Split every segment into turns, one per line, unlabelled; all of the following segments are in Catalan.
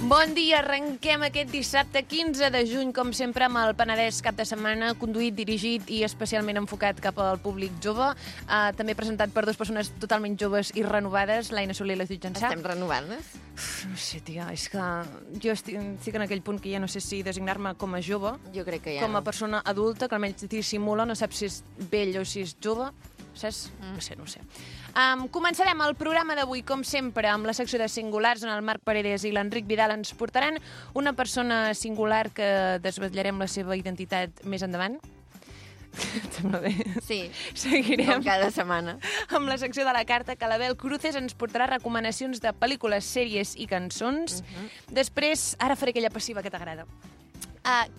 Bon dia, arrenquem aquest dissabte 15 de juny, com sempre, amb el Penedès cap de setmana, conduït, dirigit i especialment enfocat cap al públic jove. També presentat per dues persones totalment joves i renovades, l'Aina Soler i la Judit Jansà.
Estem renovant-les?
No sé, tia, és que jo estic en aquell punt que ja no sé si designar-me com a jove,
Jo crec que ja
com a persona adulta, que almenys dissimula, no sap si és vell o si és jove, saps? No sé. Començarem el programa d'avui, com sempre, amb la secció de singulars, on el Marc Paredes i l'Enric Vidal ens portaran una persona singular que desvetllarem la seva identitat més endavant. Et sembla bé?
Sí,
Seguirem
com cada setmana.
amb la secció de la carta, que l'Abel Cruces ens portarà recomanacions de pel·lícules, sèries i cançons. Després, ara faré aquella passiva que t'agrada.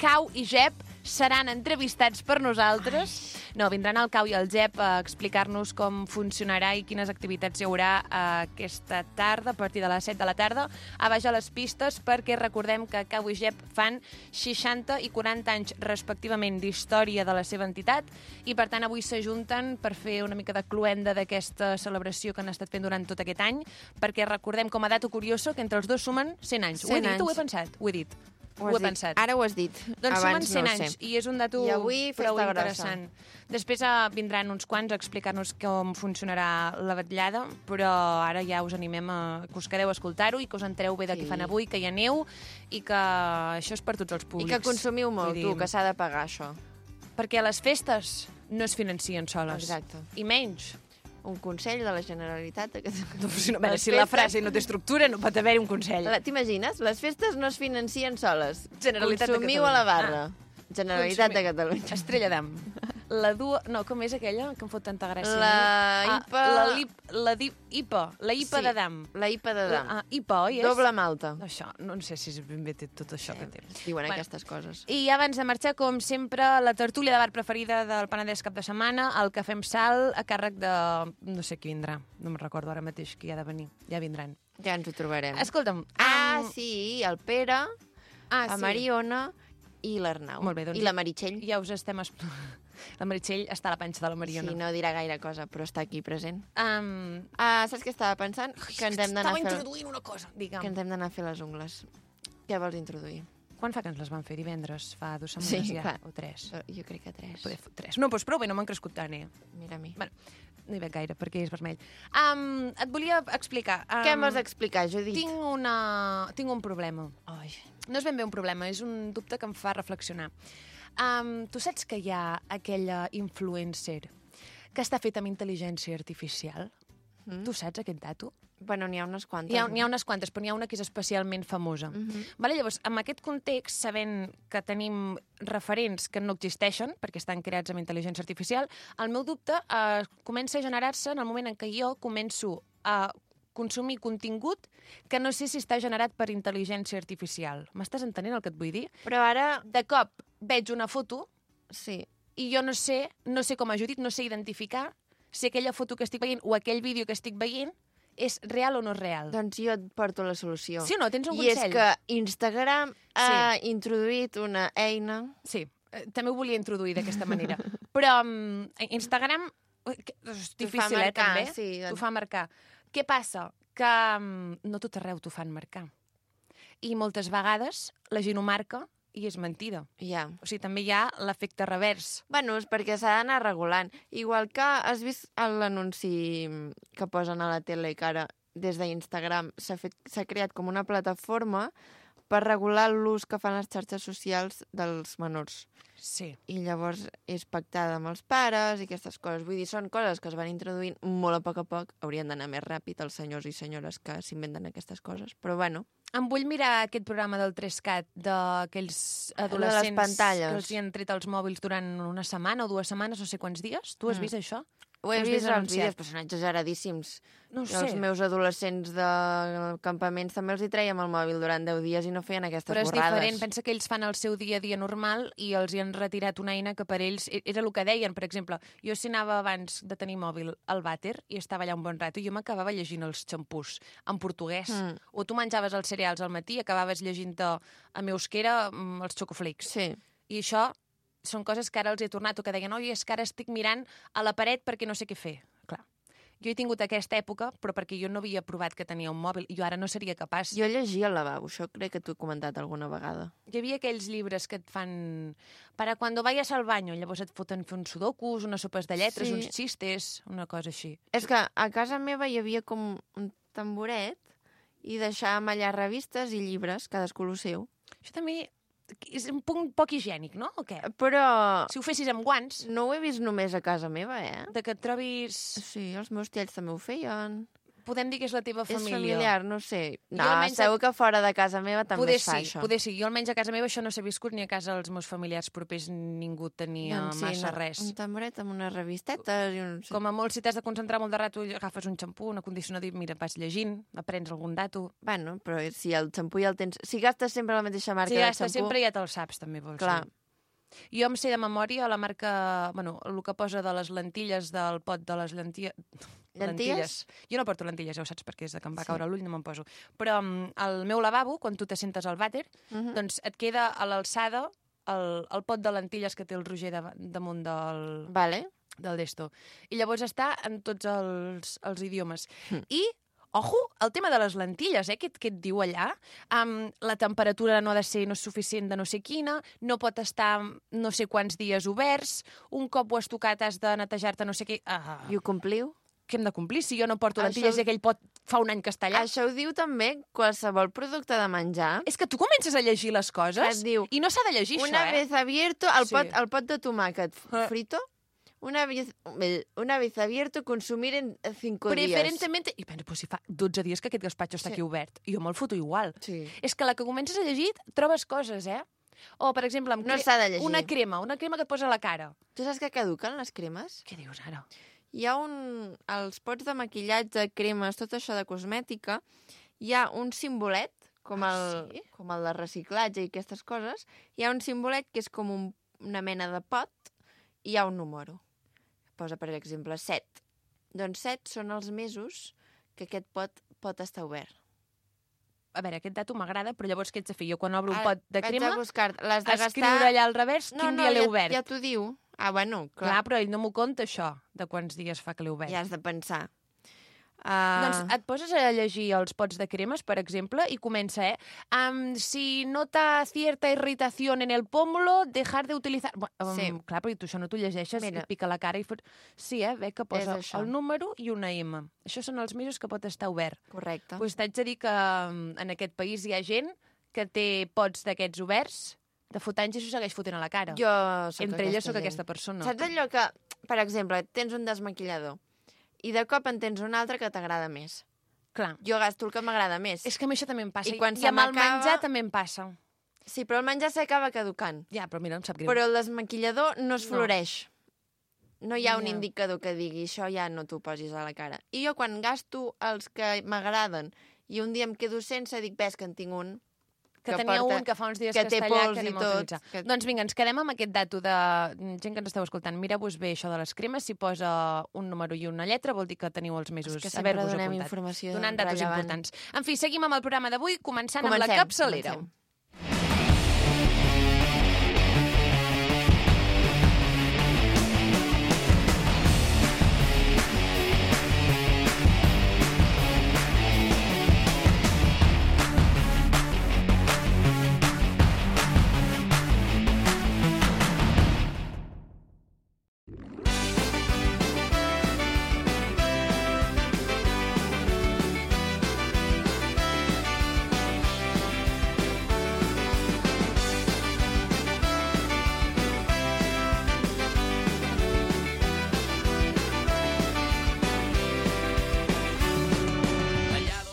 Cau i Jep seran entrevistats per nosaltres. No, vindran el Cau i el Jep a explicar-nos com funcionarà i quines activitats hi haurà aquesta tarda, a partir de les 7 de la tarda, a baix a les pistes, perquè recordem que Cau i Jep fan 60 i 40 anys respectivament d'història de la seva entitat i, per tant, avui s'ajunten per fer una mica de cluenda d'aquesta celebració que han estat fent durant tot aquest any, perquè recordem com a dato curioso que entre els dos sumen 100 anys.
100
Ho he dit
anys.
o ho he pensat? Ho he dit. Ho he
dit.
pensat.
Ara ho has dit.
Doncs sumen
Abans
100
no ho
anys
sé.
i és un dato
I avui
prou
festa
interessant. Després vindran uns quants a explicar-nos com funcionarà la vetllada, però ara ja us animem a que us quedeu a escoltar-ho i que us entereu bé de què fan avui, que hi aneu i que això és per tots els
I
públics.
que consumiu molt,
Vull dir,
tu, que s'ha de pagar això.
Perquè les festes no es financen soles.
Exacte.
I menys.
Un consell de la Generalitat.
No, a veure, si la frase no té estructura, no pot haver-hi un consell.
T'imagines? Les festes no es financen soles.
Generalitat de
Consumiu a la barra. Generalitat de Catalunya.
Estrella d'Am. La dua... No, com és aquella que em fot tanta gràcia?
La IPA...
IPA. La IPA de Dam.
La IPA de Dam.
IPA, oi?
Doble malta.
Això, no sé si ben bé té tot això que té.
Diuen aquestes coses.
I abans de marxar, com sempre, la tertúlia de bar preferida del Penedès cap de setmana, el Cafè amb Sal, a càrrec de... no sé qui vindrà. No me'n recordo ara mateix qui ha de venir. Ja vindran.
Ja ens ho trobarem.
Escolta'm.
Sí, el Pere, la
sí.
Mariona i l'Arnau.
Molt bé, doncs
I la Meritxell.
Ja us estem... La Meritxell està a la panxa de la Mariona.
Sí, no dirà gaire cosa, però està aquí present.
Um...
Saps què estava pensant? Que ens hem d'anar a fer...
introduint una cosa. Digue'm.
Que ens hem d'anar a fer les ungles. Què vols introduir?
Quan fa que ens les van fer? Divendres? Fa 2 setmanes
Sí,
ja?
clar.
O 3?
Jo crec que 3.
Poder 3. No, doncs prou bé, no m'han crescut tant,
Mira a mi.
Bueno, no hi veig gaire, perquè és vermell. Et volia explicar.
Què em vols explicar, Judit?
Tinc un problema.
Ai.
No és ben bé un problema, és un dubte que em fa reflexionar. Tu saps que hi ha aquella influencer que està feta amb intel·ligència artificial? Tu saps aquest dato?
Bueno, n'hi ha unes quantes.
N'hi ha unes quantes, però n'hi ha una que és especialment famosa. Vale? Llavors, en aquest context, sabent que tenim referents que no existeixen, perquè estan creats amb intel·ligència artificial, el meu dubte comença a generar-se en el moment en què jo començo a consumir contingut que no sé si està generat per intel·ligència artificial. M'estàs entenent el que et vull dir?
Però ara...
De cop veig una foto
Sí.
i jo no sé com a Judit, no sé identificar si aquella foto que estic veient o aquell vídeo que estic veient és real o no és real.
Doncs jo et porto la solució.
Sí o no? Tens un
I
consell?
és que Instagram ha introduït una eina...
Sí, també ho volia introduir d'aquesta manera. Però Instagram és difícil,
marcar,
també.
sí, doncs.
T'ho fa marcar. Què passa? Que no tot arreu t'ho fan marcar. I moltes vegades la gent ho marca i és mentida.
Ja.
O sigui, també hi ha l'efecte revers.
Bueno, és perquè s'ha d'anar regulant. Igual que has vist l'anunci que posen a la tele que ara des d'Instagram s'ha creat com una plataforma per regular l'ús que fan les xarxes socials dels menors.
Sí.
I llavors és pactada amb els pares i aquestes coses. Vull dir, són coses que es van introduint molt a poc. Haurien d'anar més ràpid els senyors i senyores que s'inventen aquestes coses. Però bueno...
Em vull mirar aquest programa del 3CAT d'aquells adolescents
pantalles.
que els hi han tret els mòbils durant una setmana o 2 setmanes, no sé quants dies. Tu has vist això?
Ho he
Has
vist als
anunciat?
vídeos, però són exageradíssims.
No ho
Jo, els
sé.
meus adolescents de campaments també els hi traiem el mòbil durant 10 dies i no feien aquestes
Però és
borrades.
diferent, pensa que ells fan el seu dia a dia normal i els hi han retirat una eina que per ells era el que deien, per exemple. Jo si anava abans de tenir mòbil al vàter i estava allà un bon rato, jo m'acabava llegint els xampús en portuguès. O tu menjaves els cereals al matí i acabaves llegint-te en euskera els xocoflakes.
Sí.
I això són coses que ara els he tornat o que deien, oi, és que ara estic mirant a la paret perquè no sé què fer. Clar. Jo he tingut aquesta època, però perquè jo no havia provat que tenia un mòbil, i jo ara no seria capaç.
Jo llegia al lavabo, això crec que t'ho he comentat alguna vegada.
Hi havia aquells llibres que et fan... Para cuando vayas al baño, llavors et foten fer uns sudokus, unes sopes de lletres,
Sí.
uns xistes, una cosa així.
És que a casa meva hi havia com un tamboret i deixàvem allà revistes i llibres, cadascú el seu.
Això també és un punt poc higiènic, no? O què?
Però
Si ho fessis amb guants,
no ho he vist només a casa meva,
de que et trobis...
Sí, els meus tiets també ho feien.
Podem dir que és la teva família.
És familiar, no sé. No,
almenys
segur que fora de casa meva també
Poder
es fa
sí,
això.
poder sí. Jo almenys a casa meva això no s'ha viscut, ni a casa dels meus familiars propers ningú tenia massa res.
Un tamboret amb unes revistetes i un...
Com a molt, si t'has de concentrar molt de rato, agafes un xampú, un acondicionador i mira, vas llegint, aprens algun dato.
Bueno, però si el xampú ja el tens... Si gastes sempre la mateixa marca
Si
de
gastes
xampú...
sempre ja te'l saps, també, vols
Clar.
dir. Jo em sé de memòria la marca... Bueno, el que posa de les lentilles del pot de les lentilles. Jo no porto lentilles, ja ho saps, perquè és de que em va caure l'ull, no me'n poso. Però al meu lavabo, quan tu t'assentes al vàter, doncs et queda a l'alçada el pot de lentilles que té el Roger damunt
Vale.
del d'esto. I llavors està en tots els idiomes. I, ojo, el tema de les lentilles, que et diu allà, la temperatura no ha de ser no suficient de no sé quina, no pot estar no sé quants dies oberts, un cop ho has tocat has de netejar-te no sé què...
I ho compliu?
Què hem de complir si jo no porto lentilles
Això-
i aquell pot fa un any que està allà?
Això ho diu també qualsevol producte de menjar.
És que tu comences a llegir les coses
Et diu,
i no s'ha de llegir
Una
això,
vez abierto, el
Sí.
pot de tomàquet frito, una vez abierto, consumir en 5 días.
Preferentemente... I penso, pues si fa 12 dies que aquest gaspatxo està
Sí.
aquí obert. I jo me'l foto igual.
Sí.
És que la que comences a llegir trobes coses, O, per exemple, amb
No s'ha de llegir.
una crema que et posa a la cara.
Tu saps que caduquen les cremes?
Què dius ara?
Hi ha els pots de maquillatge, cremes, tot això de cosmètica, hi ha un simbolet, com
Sí?
com el de reciclatge i aquestes coses, hi ha un simbolet que és com una mena de pot i hi ha un número. Posa, per exemple, 7. Doncs 7 són els mesos que aquest pot estar obert.
A veure, aquest dato m'agrada, però llavors què ets de fer? Jo quan obro un
Ara,
pot de
haig
crema,
de buscar, l'has de
escriure
gastar...
allà al revers quin dia l'he obert.
Ja t'ho diu. Ah, bueno,
Clar,
clar.
però ell no m'ho conta, això, de quants dies fa que l'he obert.
Ja has de pensar.
Doncs et poses a llegir els pots de cremes, per exemple, i comença, si nota cierta irritación en el pómulo, dejar de utilizar...
Sí.
Clar, però tu això no t'ho llegeixes,
Mira.
et pica la cara i fots... Sí, ve que posa
És això.
el número i una M. Això són els mesos que pot estar obert.
Correcte.
Doncs t'haig de dir que en aquest país hi ha gent que té pots d'aquests oberts de fot anys i s'ho segueix fotent a la cara.
Jo soc
Entre elles
aquesta
sóc
gent.
aquesta persona.
Saps allò que, per exemple, tens un desmaquillador i de cop en tens un altre que t'agrada més?
Clar.
Jo gasto el que m'agrada més.
És que a mi això també em passa.
I quan
I
se
amb el
m'acaba-
menjar també em passa.
Sí, però el menjar s'acaba caducant.
Ja, però mira, em sap greu.
Però el desmaquillador no es
No.
floreix. No hi ha un
Ja.
indicador que digui això ja no t'ho posis a la cara. I jo quan gasto els que m'agraden i un dia em quedo sense, dic, ves que en tinc un
que tenia un que fa uns dies
que
que
té
està allà,
pols
que
i
anem a
tot,
utilitzar.
que-
Doncs vinga, ens quedem amb aquest dato de gent que ens esteu escoltant. Mireu-vos bé això de les cremes, si posa un número i una lletra vol dir que teniu els mesos
És que sempre
haver-vos
donem
apuntat.
informació
Donant datos
rellevant.
importants. En fi, seguim amb el programa d'avui, començant amb la
Comencem,
capçalera.
comencem.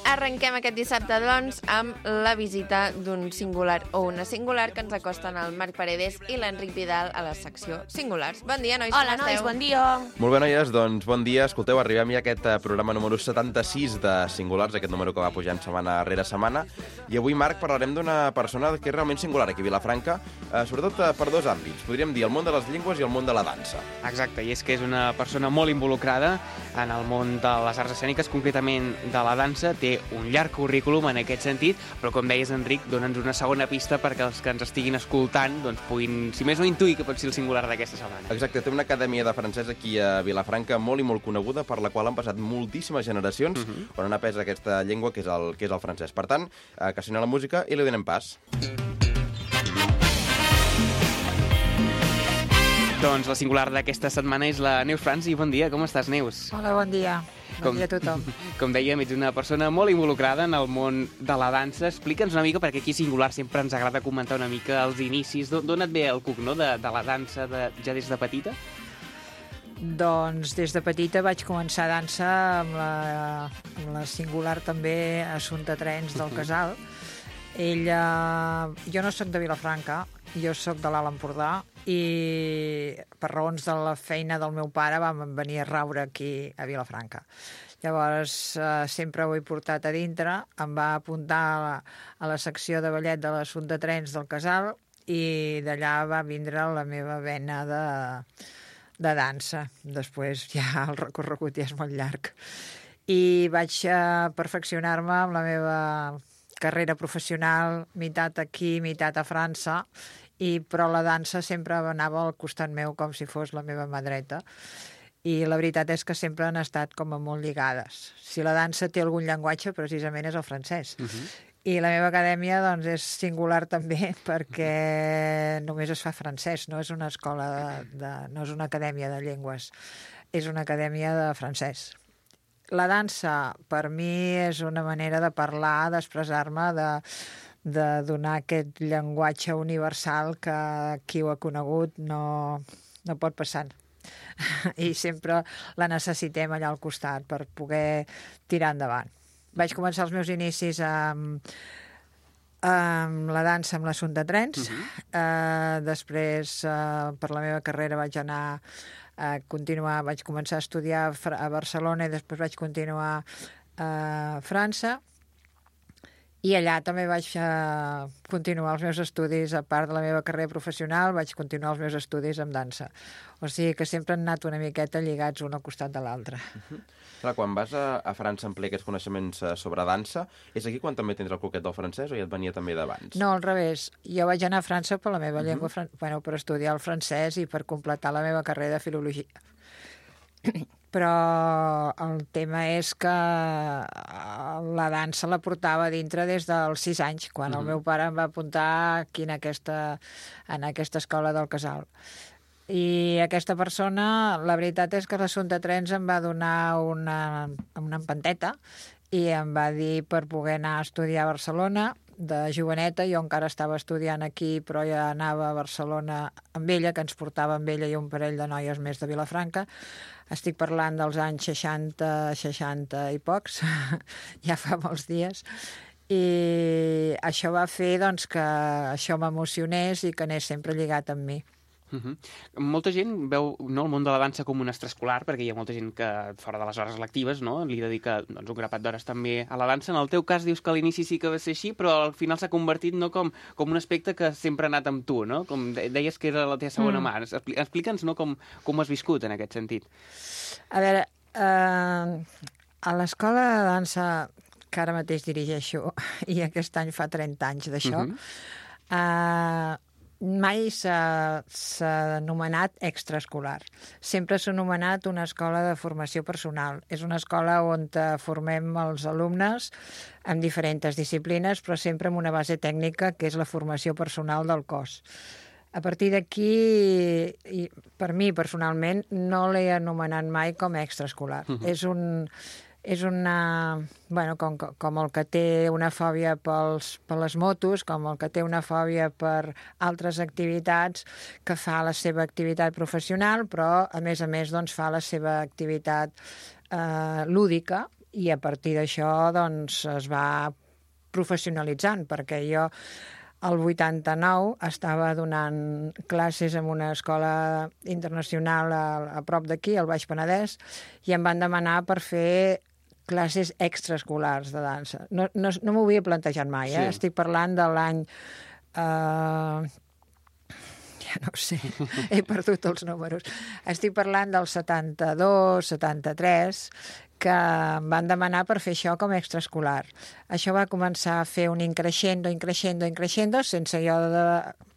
Arrenquem aquest dissabte, doncs, amb la visita d'un singular o una singular que ens acosten el Marc Paredes i l'Enric Vidal a la secció Singulars. Bon dia, nois.
Hola,
com
nois,
esteu?
bon dia.
Molt bé, noies, doncs bon dia. Escolteu, arribem ja a aquest programa número 76 de Singulars, aquest número que va pujant setmana rere setmana. I avui, Marc, parlarem d'una persona que és realment singular aquí a Vilafranca, sobretot per dos àmbits. Podríem dir el món de les llengües i el món de la dansa.
Exacte, i és que és una persona molt involucrada en el món de les arts escèniques, concretament de la dansa. Té un llarg currículum en aquest sentit, però com deies, Enric, dona'ns una segona pista perquè els que ens estiguin escoltant doncs, puguin, si més no, intuir que pot ser el singular d'aquesta setmana.
Exacte, té una acadèmia de francès aquí a Vilafranca molt i molt coneguda, per la qual han passat moltíssimes generacions on han après aquesta llengua que és el francès. Per tant, que soni la música i li donem pas.
Doncs la singular d'aquesta setmana és la Neus Franzi. Bon dia, com estàs, Neus?
Hola, bon dia. Bon dia a tothom.
Com dèiem, ets una persona molt involucrada en el món de la dansa. Explica'ns una mica, perquè aquí Singular sempre ens agrada comentar una mica els inicis. D'on et ve el cuc, no?, de la dansa ja des de petita?
Doncs des de petita vaig començar a dansa amb la Singular també, Assumpta Trens del Casal. Jo no sóc de Vilafranca, jo sóc de l'Alt Empordà i per raons de la feina del meu pare vam venir a raure aquí a Vilafranca. Llavors sempre ho he portat a dintre, em va apuntar a la secció de ballet de l'Assumpta Trens del Casal i d'allà va vindre la meva vena de dansa. Després ja el recorregut ja és molt llarg. I vaig perfeccionar-me amb la meva carrera professional, meitat aquí, meitat a França, però la dansa sempre anava al costat meu com si fos la meva mà dreta. I la veritat és que sempre han estat com a molt lligades. Si la dansa té algun llenguatge, precisament és el francès. I la meva acadèmia doncs, és singular també perquè només es fa francès, no és una escola, no és una acadèmia de llengües, és una acadèmia de francès. La dansa, per mi, és una manera de parlar, d'expressar-me, de donar aquest llenguatge universal que qui ho ha conegut no pot passar. I sempre la necessitem allà al costat per poder tirar endavant. Vaig començar els meus inicis amb la dansa amb l'Assumpta Trens. Després, per la meva carrera, vaig començar a estudiar a Barcelona i després vaig continuar a França. I allà també vaig continuar els meus estudis, a part de la meva carrera professional, vaig continuar els meus estudis amb dansa. O sigui que sempre han anat una miqueta lligats un al costat de l'altre.
Clar, quan vas a França a ampliar aquests coneixements sobre dansa, és aquí quan també tens el coquet del francès o ja et venia també d'abans?
No, al revés. Jo vaig anar a França per la meva llengua, per estudiar el francès i per completar la meva carrera de filologia. Però el tema és que la dansa la portava dintre des dels 6 anys, quan el meu pare em va apuntar aquí en aquesta escola del Casal. I aquesta persona, la veritat és que l'Assumpta Trens em va donar una empanteta i em va dir per poder anar a estudiar a Barcelona de joveneta. Jo encara estava estudiant aquí, però ja anava a Barcelona amb ella, que ens portava amb ella i un parell de noies més de Vilafranca. Estic parlant dels anys 60 i pocs, ja fa molts dies. I això va fer doncs, que això m'emocionés i que anés sempre lligat amb mi.
Molta gent veu el món de la dansa com un extraescolar, perquè hi ha molta gent que fora de les hores lectives li dedica un grapat d'hores també a la dansa. En el teu cas dius que a l'inici sí que va ser així, però al final s'ha convertit com un aspecte que sempre ha anat amb tu, no? Com deies que era la teva segona mà. Explica'ns com has viscut en aquest sentit.
A veure, a l'escola de dansa que ara mateix dirigeixo, i aquest any fa 30 anys d'això, mai s'ha anomenat extraescolar. Sempre s'ha anomenat una escola de formació personal. És una escola on formem els alumnes en diferents disciplines, però sempre amb una base tècnica, que és la formació personal del cos. A partir d'aquí, per mi personalment, no l'he anomenat mai com extraescolar. És com el que té una fòbia per les motos, com el que té una fòbia per altres activitats, que fa la seva activitat professional, però a més doncs, fa la seva activitat lúdica, i a partir d'això doncs, es va professionalitzant, perquè jo el 89 estava donant classes en una escola internacional a prop d'aquí, al Baix Penedès, i em van demanar per fer classes extraescolars de dansa. No m'ho havia plantejat mai, eh? Sí. Estic parlant de l'any... ja no ho sé, he perdut els números. Estic parlant del 72, 73, que em van demanar per fer això com a extraescolar. Això va començar a fer un increixendo, sense jo de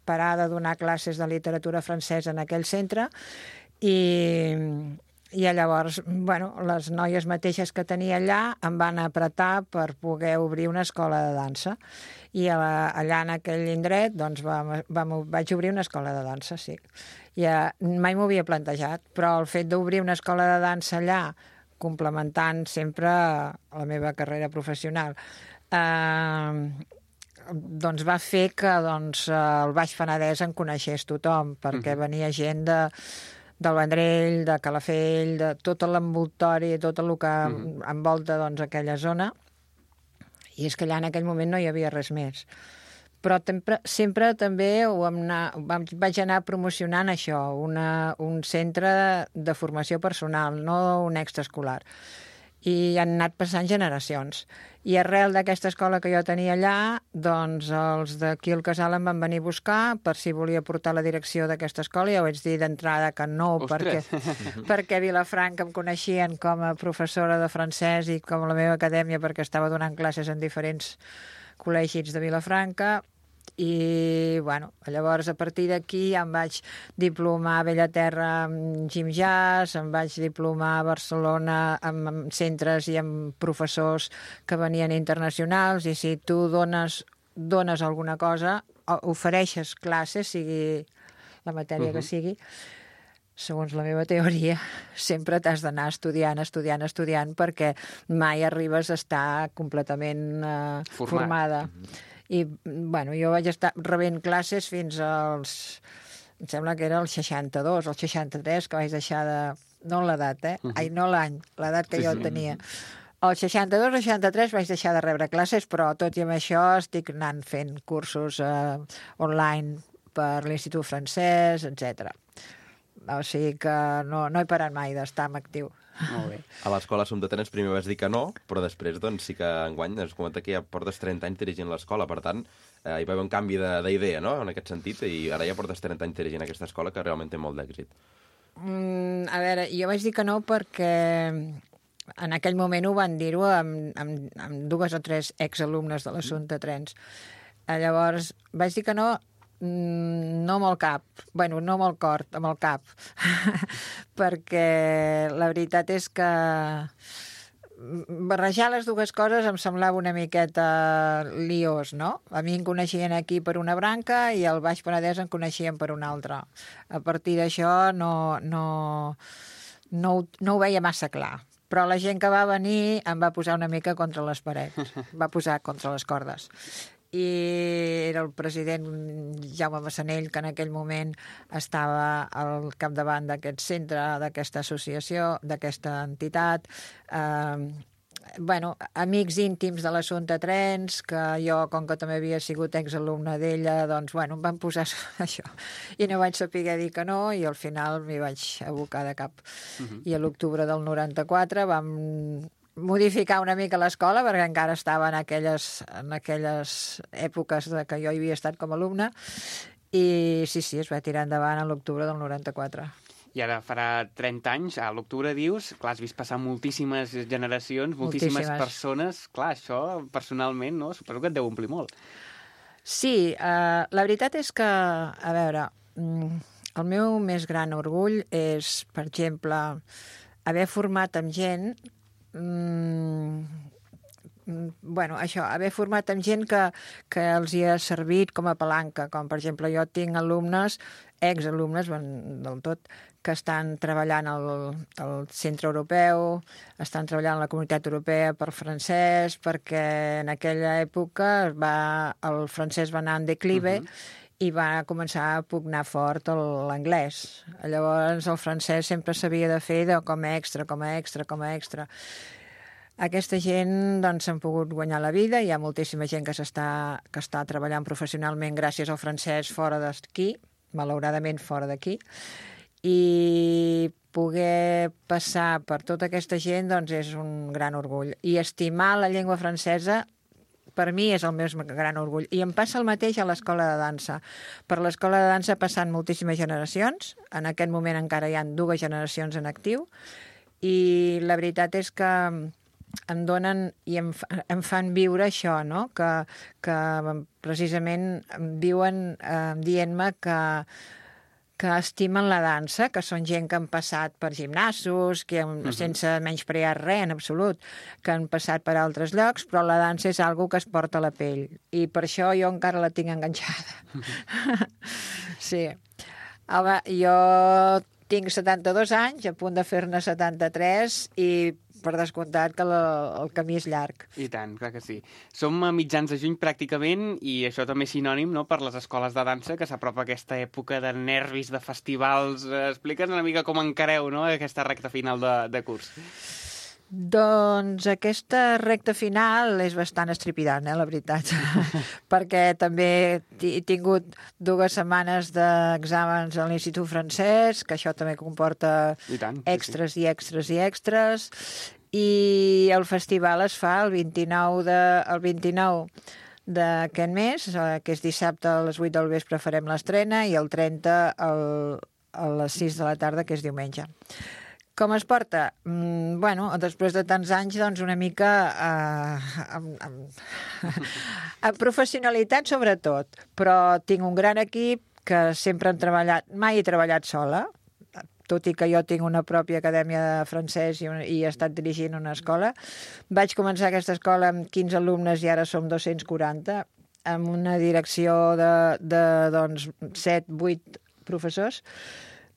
parar de donar classes de literatura francesa en aquell centre, i llavors, bueno, les noies mateixes que tenia allà em van apretar per poder obrir una escola de dansa. I allà en aquell indret doncs, vaig obrir una escola de dansa, sí. Mai m'ho havia plantejat, però el fet d'obrir una escola de dansa allà, complementant sempre la meva carrera professional, doncs va fer que el Baix Penedès en coneixés tothom, perquè venia gent del Vendrell, de Calafell, de tot l'envoltori, tot el que envolta aquella zona, i és que allà en aquell moment no hi havia res més. Però sempre també vaig anar promocionant això, un centre de formació personal, no un extraescolar. I han anat passant generacions. I arrel d'aquesta escola que jo tenia allà, doncs els d'aquí al Casal em van venir a buscar per si volia portar la direcció d'aquesta escola. Ja ho vaig dir d'entrada que no, perquè a Vilafranca em coneixien com a professora de francès i com a la meva acadèmia perquè estava donant classes en diferents col·legis de Vilafranca. I, bueno, llavors a partir d'aquí em vaig diplomar a Bellaterra amb Gym Jazz, em vaig diplomar a Barcelona amb centres i amb professors que venien internacionals, i si tu dones alguna cosa, ofereixes classes, sigui la matèria que sigui, segons la meva teoria, sempre t'has d'anar estudiant, perquè mai arribes a estar completament formada. I, bueno, jo vaig estar rebent classes fins als... Em sembla que era el 62, el 63, que vaig deixar de... No l'edat, Ai, no l'any, l'edat que jo tenia. El 62 o 63 vaig deixar de rebre classes, però tot i amb això estic anant fent cursos online per l'Institut Francès, etc. O sigui que no he parat mai d'estar en actiu.
Molt bé.
A l'escola Som de Trens primer vas dir que no, però després doncs, sí que enguany has comentat que ja portes 30 anys dirigint l'escola, per tant, hi va haver un canvi d'idea, no?, en aquest sentit, i ara ja portes 30 anys dirigint aquesta escola que realment té molt d'èxit.
A veure, jo vaig dir que no perquè en aquell moment ho van dir-ho amb 2 o 3 exalumnes de l'Assumpte Trens. Llavors, vaig dir que no amb el cap, no amb el cor, amb el cap, perquè la veritat és que barrejar les dues coses em semblava una miqueta liós, no? A mi em coneixien aquí per una branca i al Baix Penedès em coneixien per una altra. A partir d'això no ho veia massa clar. Però la gent que va venir em va posar una mica contra les parets, va posar contra les cordes. I era el president Jaume Massanell, que en aquell moment estava al capdavant d'aquest centre, d'aquesta associació, d'aquesta entitat. Amics íntims de l'Assumpte Trens, que jo, com que també havia sigut exalumne d'ella, doncs, em van posar això. I no vaig saber dir que no, i al final m'hi vaig abocar de cap. I a l'octubre del 94 vam modificar una mica l'escola, perquè encara estava en aquelles èpoques que jo hi havia estat com a alumne, i sí, es va tirar endavant a l'octubre del 94.
I ara farà 30 anys, a l'octubre dius, clar, has vist passar moltíssimes generacions, moltíssimes persones, clar, això personalment, no? Suposo que et deu omplir molt.
Sí, la veritat és que, a veure, el meu més gran orgull és, per exemple, haver format amb gent haver format amb gent que els hi ha servit com a palanca, com per exemple jo tinc alumnes, exalumnes del tot, que estan treballant al Centre Europeu, estan treballant a la Comunitat Europea per francès, perquè en aquella època el francès va anar en declive i va començar a pugnar fort l'anglès. Llavors el francès sempre s'havia de fer com a extra. Aquesta gent doncs, s'han pogut guanyar la vida, hi ha moltíssima gent que està treballant professionalment gràcies al francès fora d'aquí, malauradament fora d'aquí, i poder passar per tota aquesta gent doncs, és un gran orgull. I estimar la llengua francesa per mi és el meu gran orgull. I em passa el mateix a l'escola de dansa. Per l'escola de dansa passen moltíssimes generacions. En aquest moment encara hi ha 2 generacions en actiu. I la veritat és que em donen i em fan viure això, no? Que precisament viuen dient-me que estimen la dansa, que són gent que han passat per gimnasos, sense menysprear res en absolut, que han passat per altres llocs, però la dansa és algo que es porta a la pell. I per això jo encara la tinc enganxada. Sí. Home, jo tinc 72 anys, a punt de fer-ne 73, i per descomptat que el camí és llarg.
I tant, clar que sí. Som a mitjans de juny pràcticament i això també és sinònim, no?, per les escoles de dansa, que s'apropa aquesta època de nervis, de festivals. Explica'ns una mica com encareu, no?, aquesta recta final de curs.
Doncs aquesta recta final és bastant estripidant, la veritat, perquè també he tingut 2 setmanes d'exàmens a l'Institut Francès, que això també comporta extras i extras i extras, i el festival es fa el 29 d'aquest mes, que és dissabte a les 8 del vespre farem l'estrena, i el 30 a les 6 de la tarda, que és diumenge. Com es porta? Bueno, després de tants anys, doncs una mica amb professionalitat sobretot, però tinc un gran equip que sempre hem treballat, mai he treballat sola, tot i que jo tinc una pròpia acadèmia de francès i he estat dirigint una escola. Vaig començar aquesta escola amb 15 alumnes i ara som 240, amb una direcció de 7-8 professors,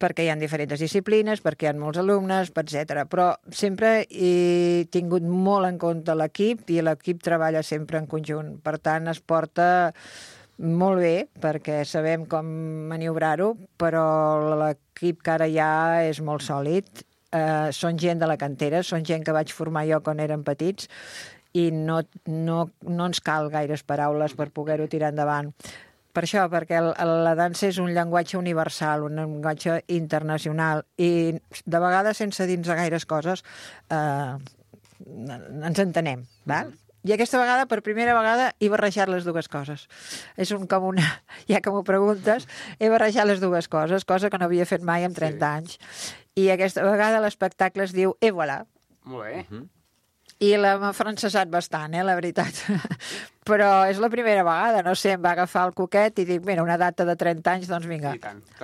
perquè hi ha diferents disciplines, perquè hi ha molts alumnes, etc. Però sempre he tingut molt en compte l'equip i l'equip treballa sempre en conjunt. Per tant, es porta molt bé, perquè sabem com maniobrar-ho, però l'equip que ara hi ha és molt sòlid. Són gent de la cantera, són gent que vaig formar jo quan érem petits i no ens cal gaires paraules per poder-ho tirar endavant. Per això, perquè la dansa és un llenguatge universal, un llenguatge internacional, i de vegades, sense dir-nos gaires coses, ens entenem, val? I aquesta vegada, per primera vegada, he barrejat les 2 coses. És ja que m'ho preguntes, he barrejat les 2 coses, cosa que no havia fet mai en 30 anys. I aquesta vegada l'espectacle es diu Et voilà.
Molt bé.
I l'hem afrancesat bastant, la veritat. Però és la primera vegada, no sé, em va agafar el coquet i dic, mira, una data de 30 anys, doncs vinga,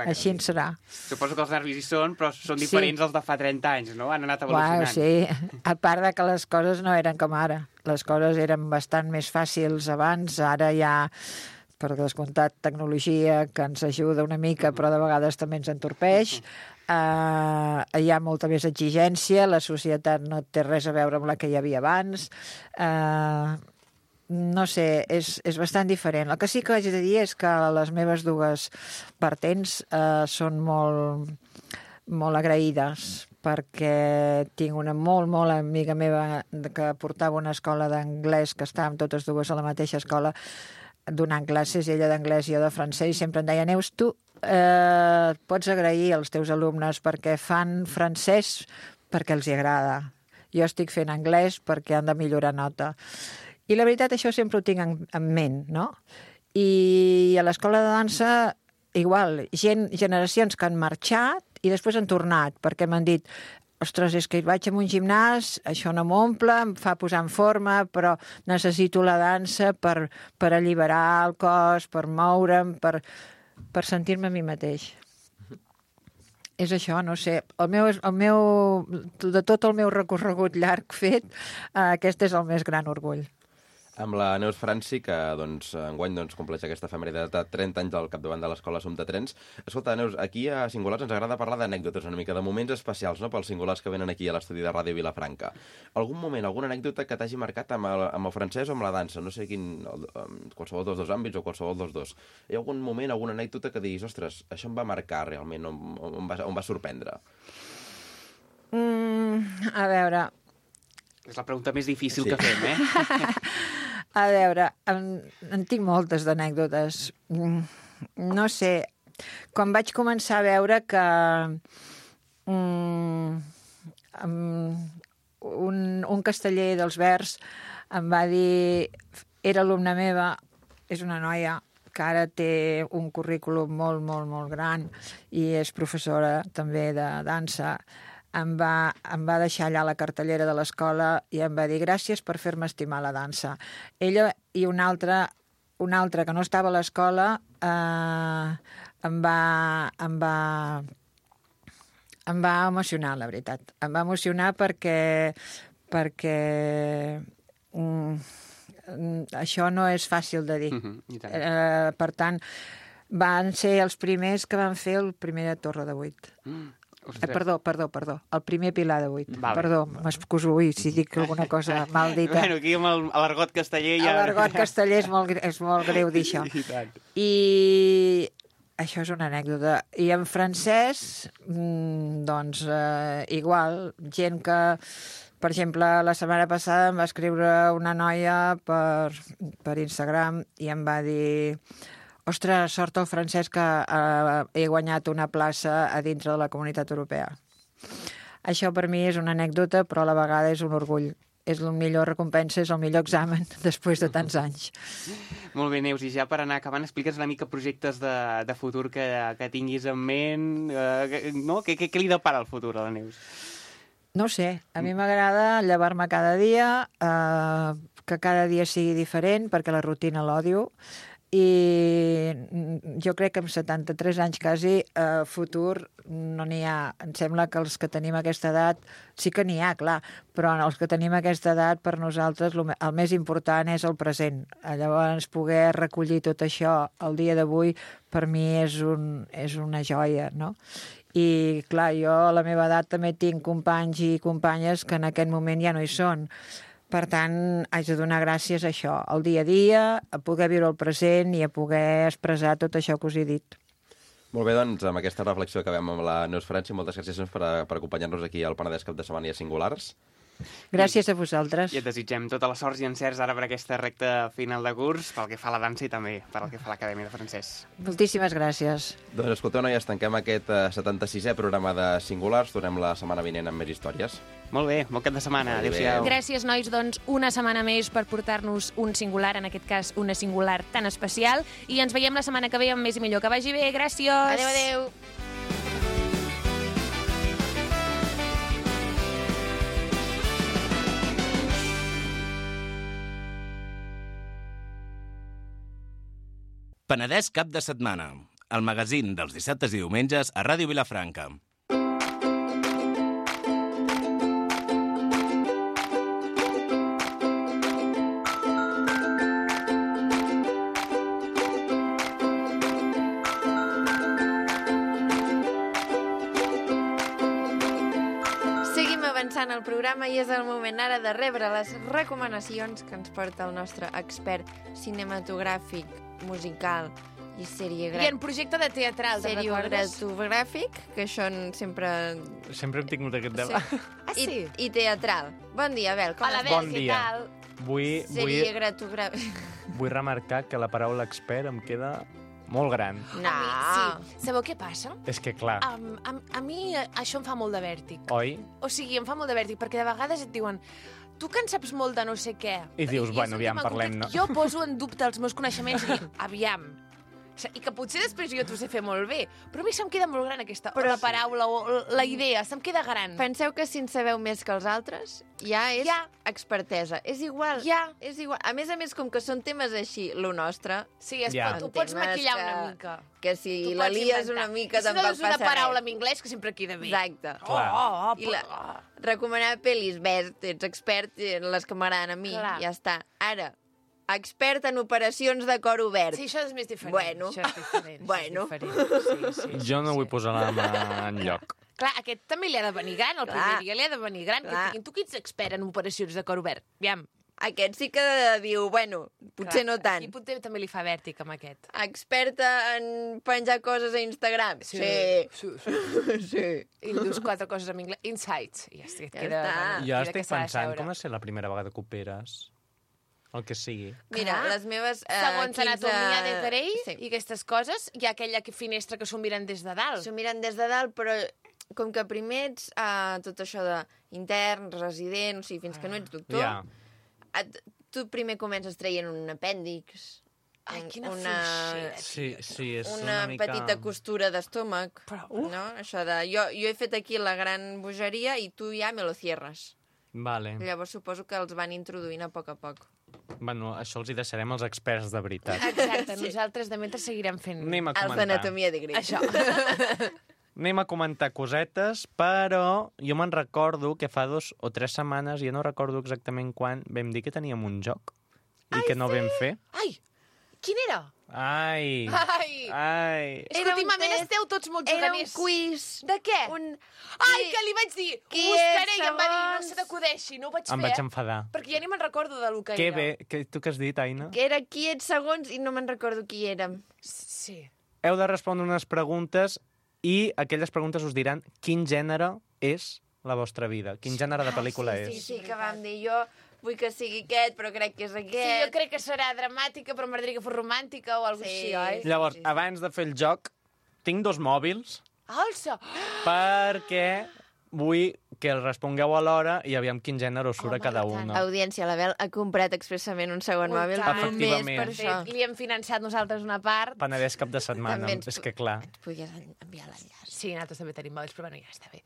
així en serà.
Suposo que els nervis hi són, però són diferents dels de fa 30 anys, no? Han anat evolucionant.
Sí, a part de que les coses no eren com ara. Les coses eren bastant més fàcils abans, ara hi ha, per descomptat, tecnologia que ens ajuda una mica, però de vegades també ens entorpeix. Hi ha molta més exigència, la societat no té res a veure amb la que hi havia abans, no sé, és bastant diferent. El que sí que haig de dir és que les meves 2 vertents són molt agraïdes, perquè tinc una molt amiga meva que portava una escola d'anglès, que estàvem totes 2 a la mateixa escola donant classes, ella d'anglès i jo de francès, i sempre em deia, Neus, tu pots agrair als teus alumnes perquè fan francès perquè els hi agrada. Jo estic fent anglès perquè han de millorar nota. I la veritat, això sempre ho tinc en ment, no? I a l'escola de dansa, igual, generacions que han marxat i després han tornat, perquè m'han dit, ostres, és que vaig a un gimnàs, això no m'omple, em fa posar en forma, però necessito la dansa per alliberar el cos, per moure'm, per sentir-me a mi mateix. És això, no sé. De tot el meu recorregut llarg fet, aquest és el més gran orgull.
Amb la Neus Franci, que enguany compleix aquesta efemèride de 30 anys al capdavant de l'Escola Som de Trens. Escolta, Neus, aquí a Singulars ens agrada parlar d'anècdotes una mica, de moments especials, no?, pels singulars que venen aquí a l'estudi de Ràdio Vilafranca. Algun moment, alguna anècdota que t'hagi marcat amb el francès o amb la dansa? No sé quin, qualsevol dels 2 àmbits o qualsevol dels 2. Hi ha algun moment, alguna anècdota que diguis, ostres, això em va marcar realment, em va sorprendre?
A veure...
És la pregunta més difícil que fem,
A veure, en tinc moltes d'anècdotes. No sé, quan vaig començar a veure que un casteller dels Verds em va dir era alumna meva, és una noia que ara té un currículum molt, molt, molt gran i és professora també de dansa. Em va deixar allà a la cartellera de l'escola i em va dir gràcies per fer-me estimar la dansa. Ella i una altra que no estava a l'escola em va emocionar, la veritat. Em va emocionar perquè això no és fàcil de dir. Per tant, van ser els primers que van fer el primer de Torre de 8. Perdó, el primer Pilar de 8.
Vale.
Perdó, m'excuso, si dic alguna cosa mal dita.
Bueno, aquí amb l'argot casteller ja...
L'argot casteller és molt greu dir això. I això és una anècdota. I en francès, doncs, igual, gent que... Per exemple, la setmana passada em va escriure una noia per Instagram i em va dir ostres, sort el francès que he guanyat una plaça a dintre de la Comunitat Europea. Això per mi és una anècdota, però a la vegada és un orgull. És la millor recompensa, és el millor examen després de tants anys.
Molt bé, Neus, i ja per anar acabant, explica'ns una mica projectes de futur que tinguis en ment. No? Què li depara el futur a la Neus?
No ho sé, a mi m'agrada llevar-me cada dia, que cada dia sigui diferent, perquè la rutina l'odio, i jo crec que amb 73 anys quasi futur no n'hi ha. Em sembla que els que tenim aquesta edat sí que n'hi ha, clar, però els que tenim aquesta edat per nosaltres el més important és el present. Llavors poder recollir tot això el dia d'avui per mi és una joia, no? I clar, jo a la meva edat també tinc companys i companyes que en aquest moment ja no hi són. Per tant, haig de donar gràcies a això, al dia a dia, a poder viure el present i a poder expressar tot això que us he dit.
Molt bé, doncs, amb aquesta reflexió acabem amb la Neus Franci. Moltes gràcies per acompanyar-nos aquí al Penedès Cap de Setmana i a Singulars.
Gràcies a vosaltres.
I et desitgem tota la sort i encerts ara per aquesta recta final de curs, pel que fa a la dansa i també pel que fa a l'Acadèmia de Francès.
Moltíssimes gràcies.
Doncs escolteu, noies, tanquem aquest 76è programa de Singulars. Tornem la setmana vinent amb més històries.
Molt bé, bon cap de setmana. Adéu-siau.
Gràcies, nois, doncs, una setmana més per portar-nos un singular, en aquest cas una singular tan especial, i ens veiem la setmana que ve amb més i millor. Que vagi bé, gràcies!
Adéu, adéu!
Penedès Cap de Setmana, el magazín dels dissabtes i diumenges a Ràdio Vilafranca.
Seguim avançant el programa i és el moment ara de rebre les recomanacions que ens porta el nostre expert cinematogràfic, musical i
I en projecte de teatral, te'n recordes?
seriografogràfic, que això sempre...
Sempre hem tingut aquest debat.
Sí.
Ah, sí?
I teatral. Bon dia, Abel. Com
Hola,
estàs?
Bel,
Bon
què
dia.
tal?
Seriografogràfic.
Vull remarcar que la paraula expert em queda molt gran.
No.
Sí. Sabeu què passa?
És que, clar,
A mi això em fa molt de vèrtic.
oi?
O sigui, em fa molt de vèrtic, perquè de vegades et diuen tu que en saps molt de no sé què.
I dius, bueno,
és
aviam,
un tema
parlem,
concret.
no?
Jo poso en dubte els meus coneixements i dic, aviam. I que potser després jo t'ho sé fer molt bé, però a mi se'm queda molt gran aquesta la paraula o la idea, se'm queda gran.
Penseu que si en sabeu més que els altres, ja és expertesa. És igual. És igual. A més, com que són temes així, lo nostre...
Sí, tu pots
Temes
maquillar una mica.
Que si
Tu
la
pots
lies
inventar.
una mica
I si no
tampoc
dius una
passa
paraula
res.
en anglès que sempre queda bé.
Exacte.
Clar.
I recomanar pel·lis, ves, ets expert en les que m'agraden a mi,
Clar.
ja està. Ara, expert en operacions de cor obert.
Sí, això és més diferent.
Bueno.
Això és diferent.
Bueno.
Això és diferent. Sí,
Jo no vull posar la mà en lloc.
Clar, aquest també li ha de venir gran, el
Clar.
primer dia li ha de venir gran.
Clar.
Tu qui ets expert en operacions de cor obert? Aviam.
Aquest sí que diu, bueno, potser no tant.
I potser també li fa vèrtic amb aquest.
Experta en penjar coses a Instagram?
Sí.
Sí.
I li dius 4 coses en anglès. Insights. I ja
Ja
queda,
està.
bueno,
Jo
queda
estic
que s'ha de
pensant
seure.
com ha de ser la primera vegada que operes. El que sigui.
Mira,
Clar.
les meves...
Segons anatomia de Grey
Sí.
i aquestes coses, hi ha aquella finestra que s'ho miren des de dalt.
S'ho miren des de dalt, però com que primer ets tot això d'intern, resident, o sigui, fins que no ets doctor,
Ja.
tu primer comences traient un apèndix,
Ai, quina fluixera,
Sí, sí, és
una
una mica...
petita costura d'estómac.
Però,
No? Això de... Jo he fet aquí la gran bogeria i tu ja me lo cierres.
Vale.
Llavors suposo que els van introduint a poc a poc.
Bueno, això els hi deixarem als experts de veritat.
exacte, nosaltres de mentre seguirem fent
Anem a
Els
comentar.
d'anatomia de greix.
això.
Anem a comentar cosetes, però jo me'n recordo que fa 2 o 3 setmanes, jo no recordo exactament quan, vam dir que teníem un joc i que no vam fer.
Ai, quin era?
Ai,
Ai,
ai...
és que
Era un
últimament
test.
esteu tots molt
Era un
juganers.
quiz.
De què? Ai,
Qui-
que li vaig dir, ho
qui
buscaré,
és
i em va dir, no
segons?
se t'acudeixi, no ho vaig
Em
fer,
vaig enfadar.
perquè ja ni me'n recordo de lo que
Que
era.
bé, tu què has dit, Aina?
Que era qui ets segons i no me'n recordo qui érem.
Sí.
Heu de respondre unes preguntes i aquelles preguntes us diran quin gènere és la vostra vida, quin gènere de pel·lícula és.
Sí, que vam dir jo vull que sigui aquest, però crec que és
Sí,
aquest.
jo crec que serà dramàtica, però m'agradaria que fos romàntica o alguna cosa així, oi?
Llavors,
sí.
abans de fer el joc, tinc 2 mòbils
Alça!
perquè vull que el respongueu alhora i aviam quin gènere us surt a
Home,
cada
i tant.
una.
Audiència, la Bel ha comprat expressament un segon
Ui,
mòbil
tant.
només
Efectivament.
per això.
Li hem financiat nosaltres una part.
Penedès cap de setmana,
També ens-
és que clar.
Ens podries enviar l'enllaç.
Sí, nosaltres també tenim mòbils, però bueno, ja està bé.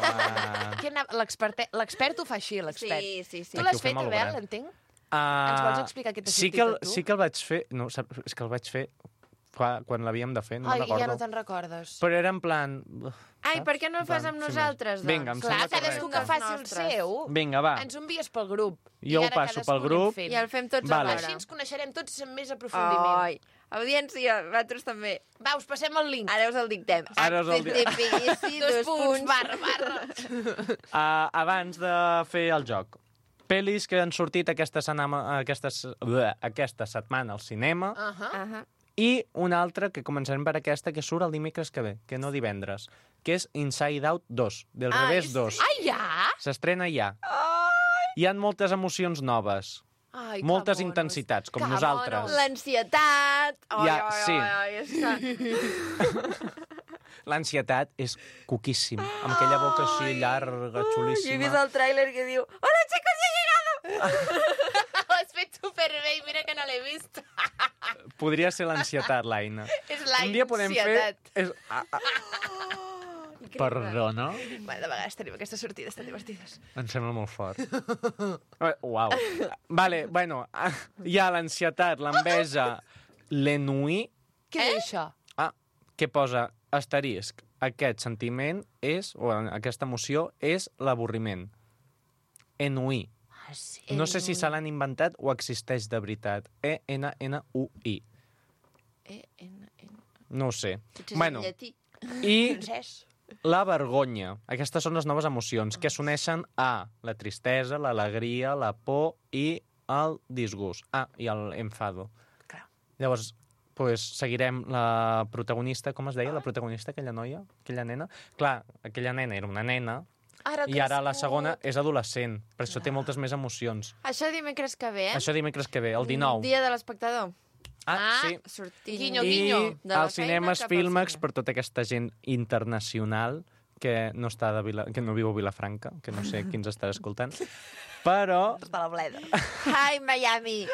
Ah,
L'expert ho fa així, l'expert.
Sí.
Tu l'has
Aquí ho fem
fet,
a
Abel,
l'obert.
entenc? Ens vols explicar què t'ha
sí
sortit
que
a tu?
sí que el vaig fer... No, és que el vaig fer quan l'havíem de fer, no
Ai,
me'n recordo.
ja no te'n recordes.
Però era en plan...
Ai, per què no el fas amb
Sí,
nosaltres, doncs?
Vinga, em
Clar,
sembla
cadascú
correcte.
que faci el
Nostres.
seu.
Vinga, va.
Ens ho envies pel grup.
Jo
I
ho
ara
passo
cadascú
pel
anem
grup.
fent.
I el fem tots
Vale.
alhora.
Així ens coneixerem tots amb més aprofundiment.
Ai, audiència, vosaltres també.
Va, us passem el link.
Ara us el dictem.
Ara us el dictem.
HTTPS, dos punts.
barra.
Abans de fer el joc, pel·lis que han sortit aquesta setmana al cinema,
Ahà.
i una altra que començarem per aquesta, que surt el dimecres que ve, que no divendres, que és Inside Out 2, del revés 2.
Ai, ja?
S'estrena ja. Hi ha moltes emocions noves,
Ai, que
moltes
monos.
intensitats, com
Que
nosaltres.
monos.
L'ansietat. Ai,
Ja,
ai,
sí.
ai, és que...
L'ansietat és cuquíssim, amb aquella boca així llarga,
Jo he vist
xulíssima.
el tràiler que diu Hola, chicos, he llegado!
Ho has fet superbé i mira que no l'he vist.
Podria ser l'ansietat, l'Aina.
És la
Un dia podem fer...
ansietat.
És... Perdona?
Bueno, de vegades tenim aquestes sortides tan divertides.
Em sembla molt fort. Uau. Vale, bueno, hi ha l'ansietat, l'enveja, l'ennui,
Què és això?
que posa asterisc. Aquest sentiment és, o aquesta emoció, és l'avorriment. Ennui.
Ah, sí.
No sé si se l'han inventat o existeix de veritat. E-N-N-U-I. No ho sé.
Potser és
Bueno,
en llatí.
i
Francès.
la vergonya. Aquestes són les noves emocions que s'uneixen a la tristesa, l'alegria, la por i el disgust. I l'enfado.
Clar.
Llavors, pues, seguirem la protagonista, com es deia, la protagonista, aquella noia, aquella nena? Clar, aquella nena era una nena i ara la segona és adolescent, per això té moltes més emocions.
Això dimecres que ve, eh?
Això dimecres que ve, el 19.
Dia de l'espectador.
Sí.
Sortint...
Guinyo,
I
guinyo.
De la
als
feina
cinemes
cap al
Filmex
cine.
per tota aquesta gent internacional que no, que no viu a Vilafranca, que no sé qui ens estarà escoltant, però
De la bleda.
Hi, Miami!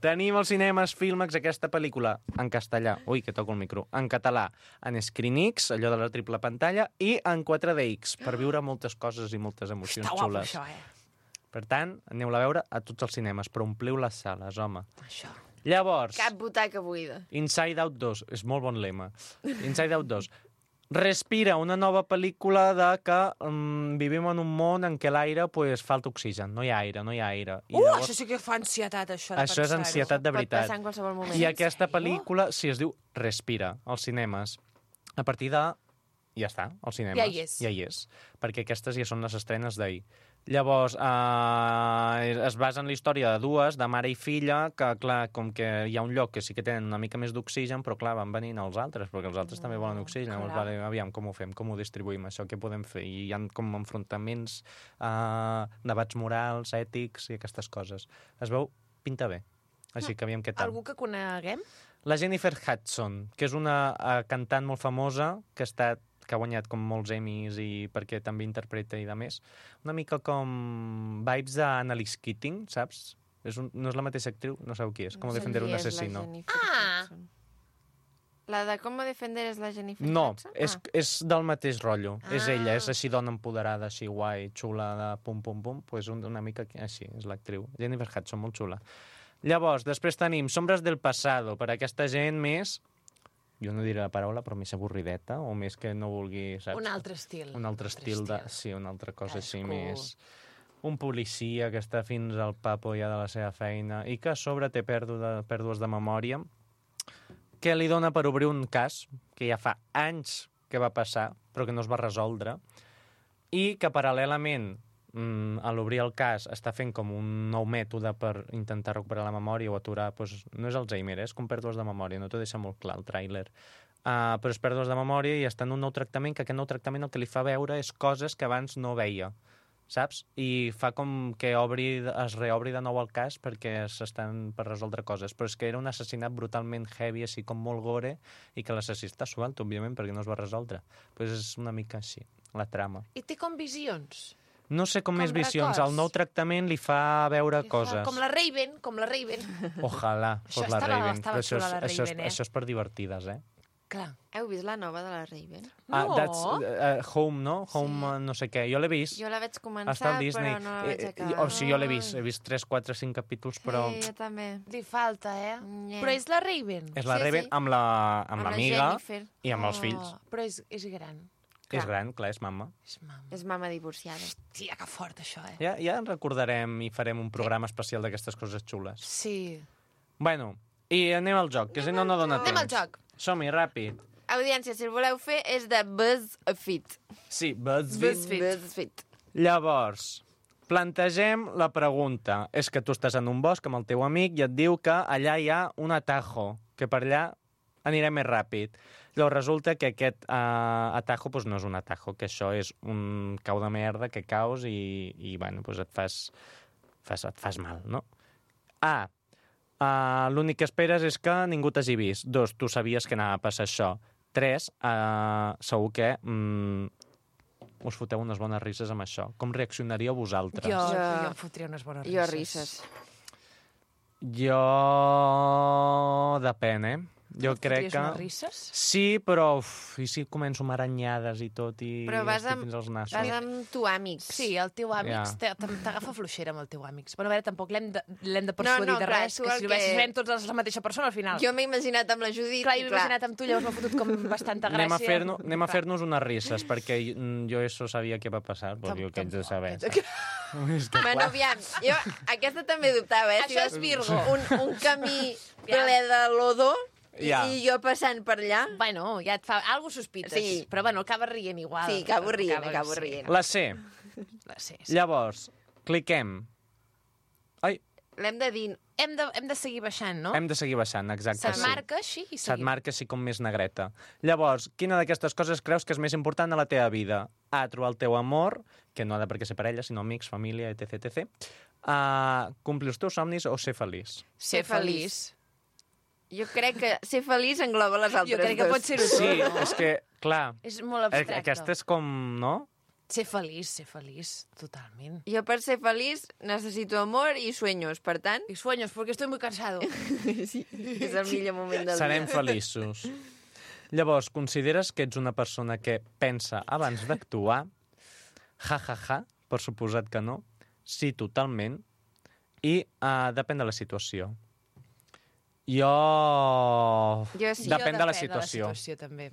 tenim als cinemes Filmex aquesta pel·lícula en castellà, ui, que toco el micro, en català, en ScreenX, allò de la triple pantalla, i en 4DX, per viure moltes coses i moltes emocions
Està guapo,
xules.
això,
Per tant, aneu-la a veure a tots els cinemes, però ompliu les sales, home.
Això.
Llavors,
Cap butaca buida.
Inside Out 2, és molt bon lema. Inside Out 2. Respira, una nova pel·lícula de que vivim en un món en què l'aire pues, falta oxigen, no hi ha aire, no hi ha aire. I llavors,
Això sí que fa ansietat, això.
això és ansietat de
Pot
veritat.
passar en qualsevol moment.
I aquesta
sèrio?
pel·lícula, si es diu Respira, als cinemes. A partir de... Ja està, als cinemes.
Ja hi és.
Ja hi és. Perquè aquestes ja són les estrenes d'ahir. Llavors, es basa en la història de dues, de mare i filla, que, clar, com que hi ha un lloc que sí que tenen una mica més d'oxigen, però, clar, van venint els altres, perquè els altres també volen oxigen. Llavors,
clar.
vale, aviam, com ho fem, com ho distribuïm, això, què podem fer? I hi ha com enfrontaments, debats morals, ètics i aquestes coses. Es veu, pinta bé. Així que aviam què tal.
Algú que coneguem?
La Jennifer Hudson, que és una cantant molt famosa que que ha guanyat com molts Emmys i perquè també interpreta i de més. Una mica com vibes d'Annalise Keating, saps? No és la mateixa actriu, no sabeu qui és. Com defender un assassino.
La de Com defender és la Jennifer
No,
Hudson?
és del mateix rotllo. És ella, és així dona empoderada, així guai, xula, de pum, pum, pum. Pues una mica així, és l'actriu. Jennifer Hudson, molt xula. Llavors, després tenim Sombres del Pasado, per a aquesta gent més... Jo no diré la paraula, però més avorrideta, o més que no vulgui, saps?
Un altre estil.
Un altre estil, sí, una altra cosa així
Cadascú.
més... Un policia que està fins al papo ja de la seva feina i que a sobre té pèrdues de memòria, que li dona per obrir un cas que ja fa anys que va passar, però que no es va resoldre, i que paral·lelament a l'obrir el cas està fent com un nou mètode per intentar recuperar la memòria o aturar... Doncs no és Alzheimer, és com pèrdues de memòria, no t'ho deixa molt clar el tràiler. Però és pèrdues de memòria i està en un nou tractament, que aquest nou tractament el que li fa veure és coses que abans no veia, saps? I fa com que es reobri de nou el cas perquè s'estan per resoldre coses. Però és que era un assassinat brutalment heavy, així com molt gore, i que l'assassí està suelt, òbviament, perquè no es va resoldre. Doncs és una mica així, la trama.
I té com visions.
No sé com més visions.
records.
El nou tractament li fa veure
Li fa
coses.
Com la Raven, com la Raven.
Ojalà fos la Raven.
estava
Però
xula, la Raven,
això és per divertides, eh?
Clar.
Heu vist la nova de la Raven?
No.
Home, no? Home, no sé què. Jo l'he vist.
Jo la vaig
Està
començar,
al Disney.
però no la vaig acabar.
O sigui, jo l'he vist. He vist 3, 4, 5 capítols, però...
Sí, jo també.
Li falta,
Nye.
Però és la Raven.
És la
Sí,
Raven
sí.
amb l'amiga
Jennifer.
i amb els fills.
Però és gran.
És gran, clar, és mama.
És mama.
És mama divorciada.
Tia, que fort, això,
Ja en recordarem i farem un programa especial d'aquestes coses xules.
Sí.
Bueno, i anem al joc, que si no, no dona temps.
Anem al joc.
Som-hi, ràpid.
Audiència, si el voleu fer, és de BuzzFeed.
Sí, BuzzFeed.
BuzzFeed.
Llavors, plantegem la pregunta. És que tu estàs en un bosc amb el teu amic i et diu que allà hi ha un atajo, que per allà anirem més ràpid. Llavors resulta que aquest atajo doncs no és un atajo, que això és un cau de merda que caus i bueno, doncs et fas mal, no? L'únic que esperes és que ningú t'hagi vist. 2, tu sabies que anava a passar això. 3, segur que us foteu unes bones risses amb això. Com reaccionaríeu vosaltres?
Jo
Jo-
em fotria unes bones
Jo
risses.
risses.
Jo... Depèn, Jo crec que...
Unes risses?
Sí, però i si començo amb aranyades i tot i
Però vas
estic
amb-
fins als nassos?
Vas amb tu amics.
Sí, el teu amics
Ja.
t'agafa fluixera amb el teu amics. Bueno, a veure, tampoc l'hem de persuadir
No,
de
clar,
res,
tu
que
el
si
que-
serem tots la mateixa persona al final.
Jo m'he imaginat amb la Judit.
Clar,
i
jo m'he imaginat amb tu, llavors m'ha fotut com bastanta gràcia.
Anem a fer-nos unes risses, perquè jo això sabia què va passar, però jo què haig de saber. És que,
Bueno, aviam, jo aquesta també dubtava,
Això
Si
és Virgo.
Un camí ple de lodo
Ja.
i jo passant per allà.
Bueno, ja et fa... Algo sospites.
Sí.
Però bueno, acaba rient igual.
Sí, acabo rient.
La C.
Sí.
Llavors, cliquem. Ai,
L'hem de dir.
Hem de seguir baixant, no?
hem de seguir baixant, exacte.
Se't marca així i
Se't
seguim.
marca així com més negreta. Llavors, quina d'aquestes coses creus que és més important a la teva vida? Trobar el teu amor, que no ha de per què ser parella, sinó amics, família, etc, etc. Complir els teus somnis o ser feliç?
Ser feliç.
Jo crec que ser feliç engloba les altres
Jo crec que
dues.
pot ser-ho
Sí,
tot.
és que, clar,
És molt abstracte.
aquesta és com, no?
Ser feliç, totalment.
Jo per ser feliç necessito amor i sueños, per tant,
Y sueños, porque estoy muy cansado.
sí, és el millor moment del
Serem
dia.
feliços. Llavors, consideres que ets una persona que pensa abans d'actuar? Ja, per suposat que no. Sí, totalment. I depèn de la situació.
Jo sí.
Depèn de la
De
situació.
la situació, també.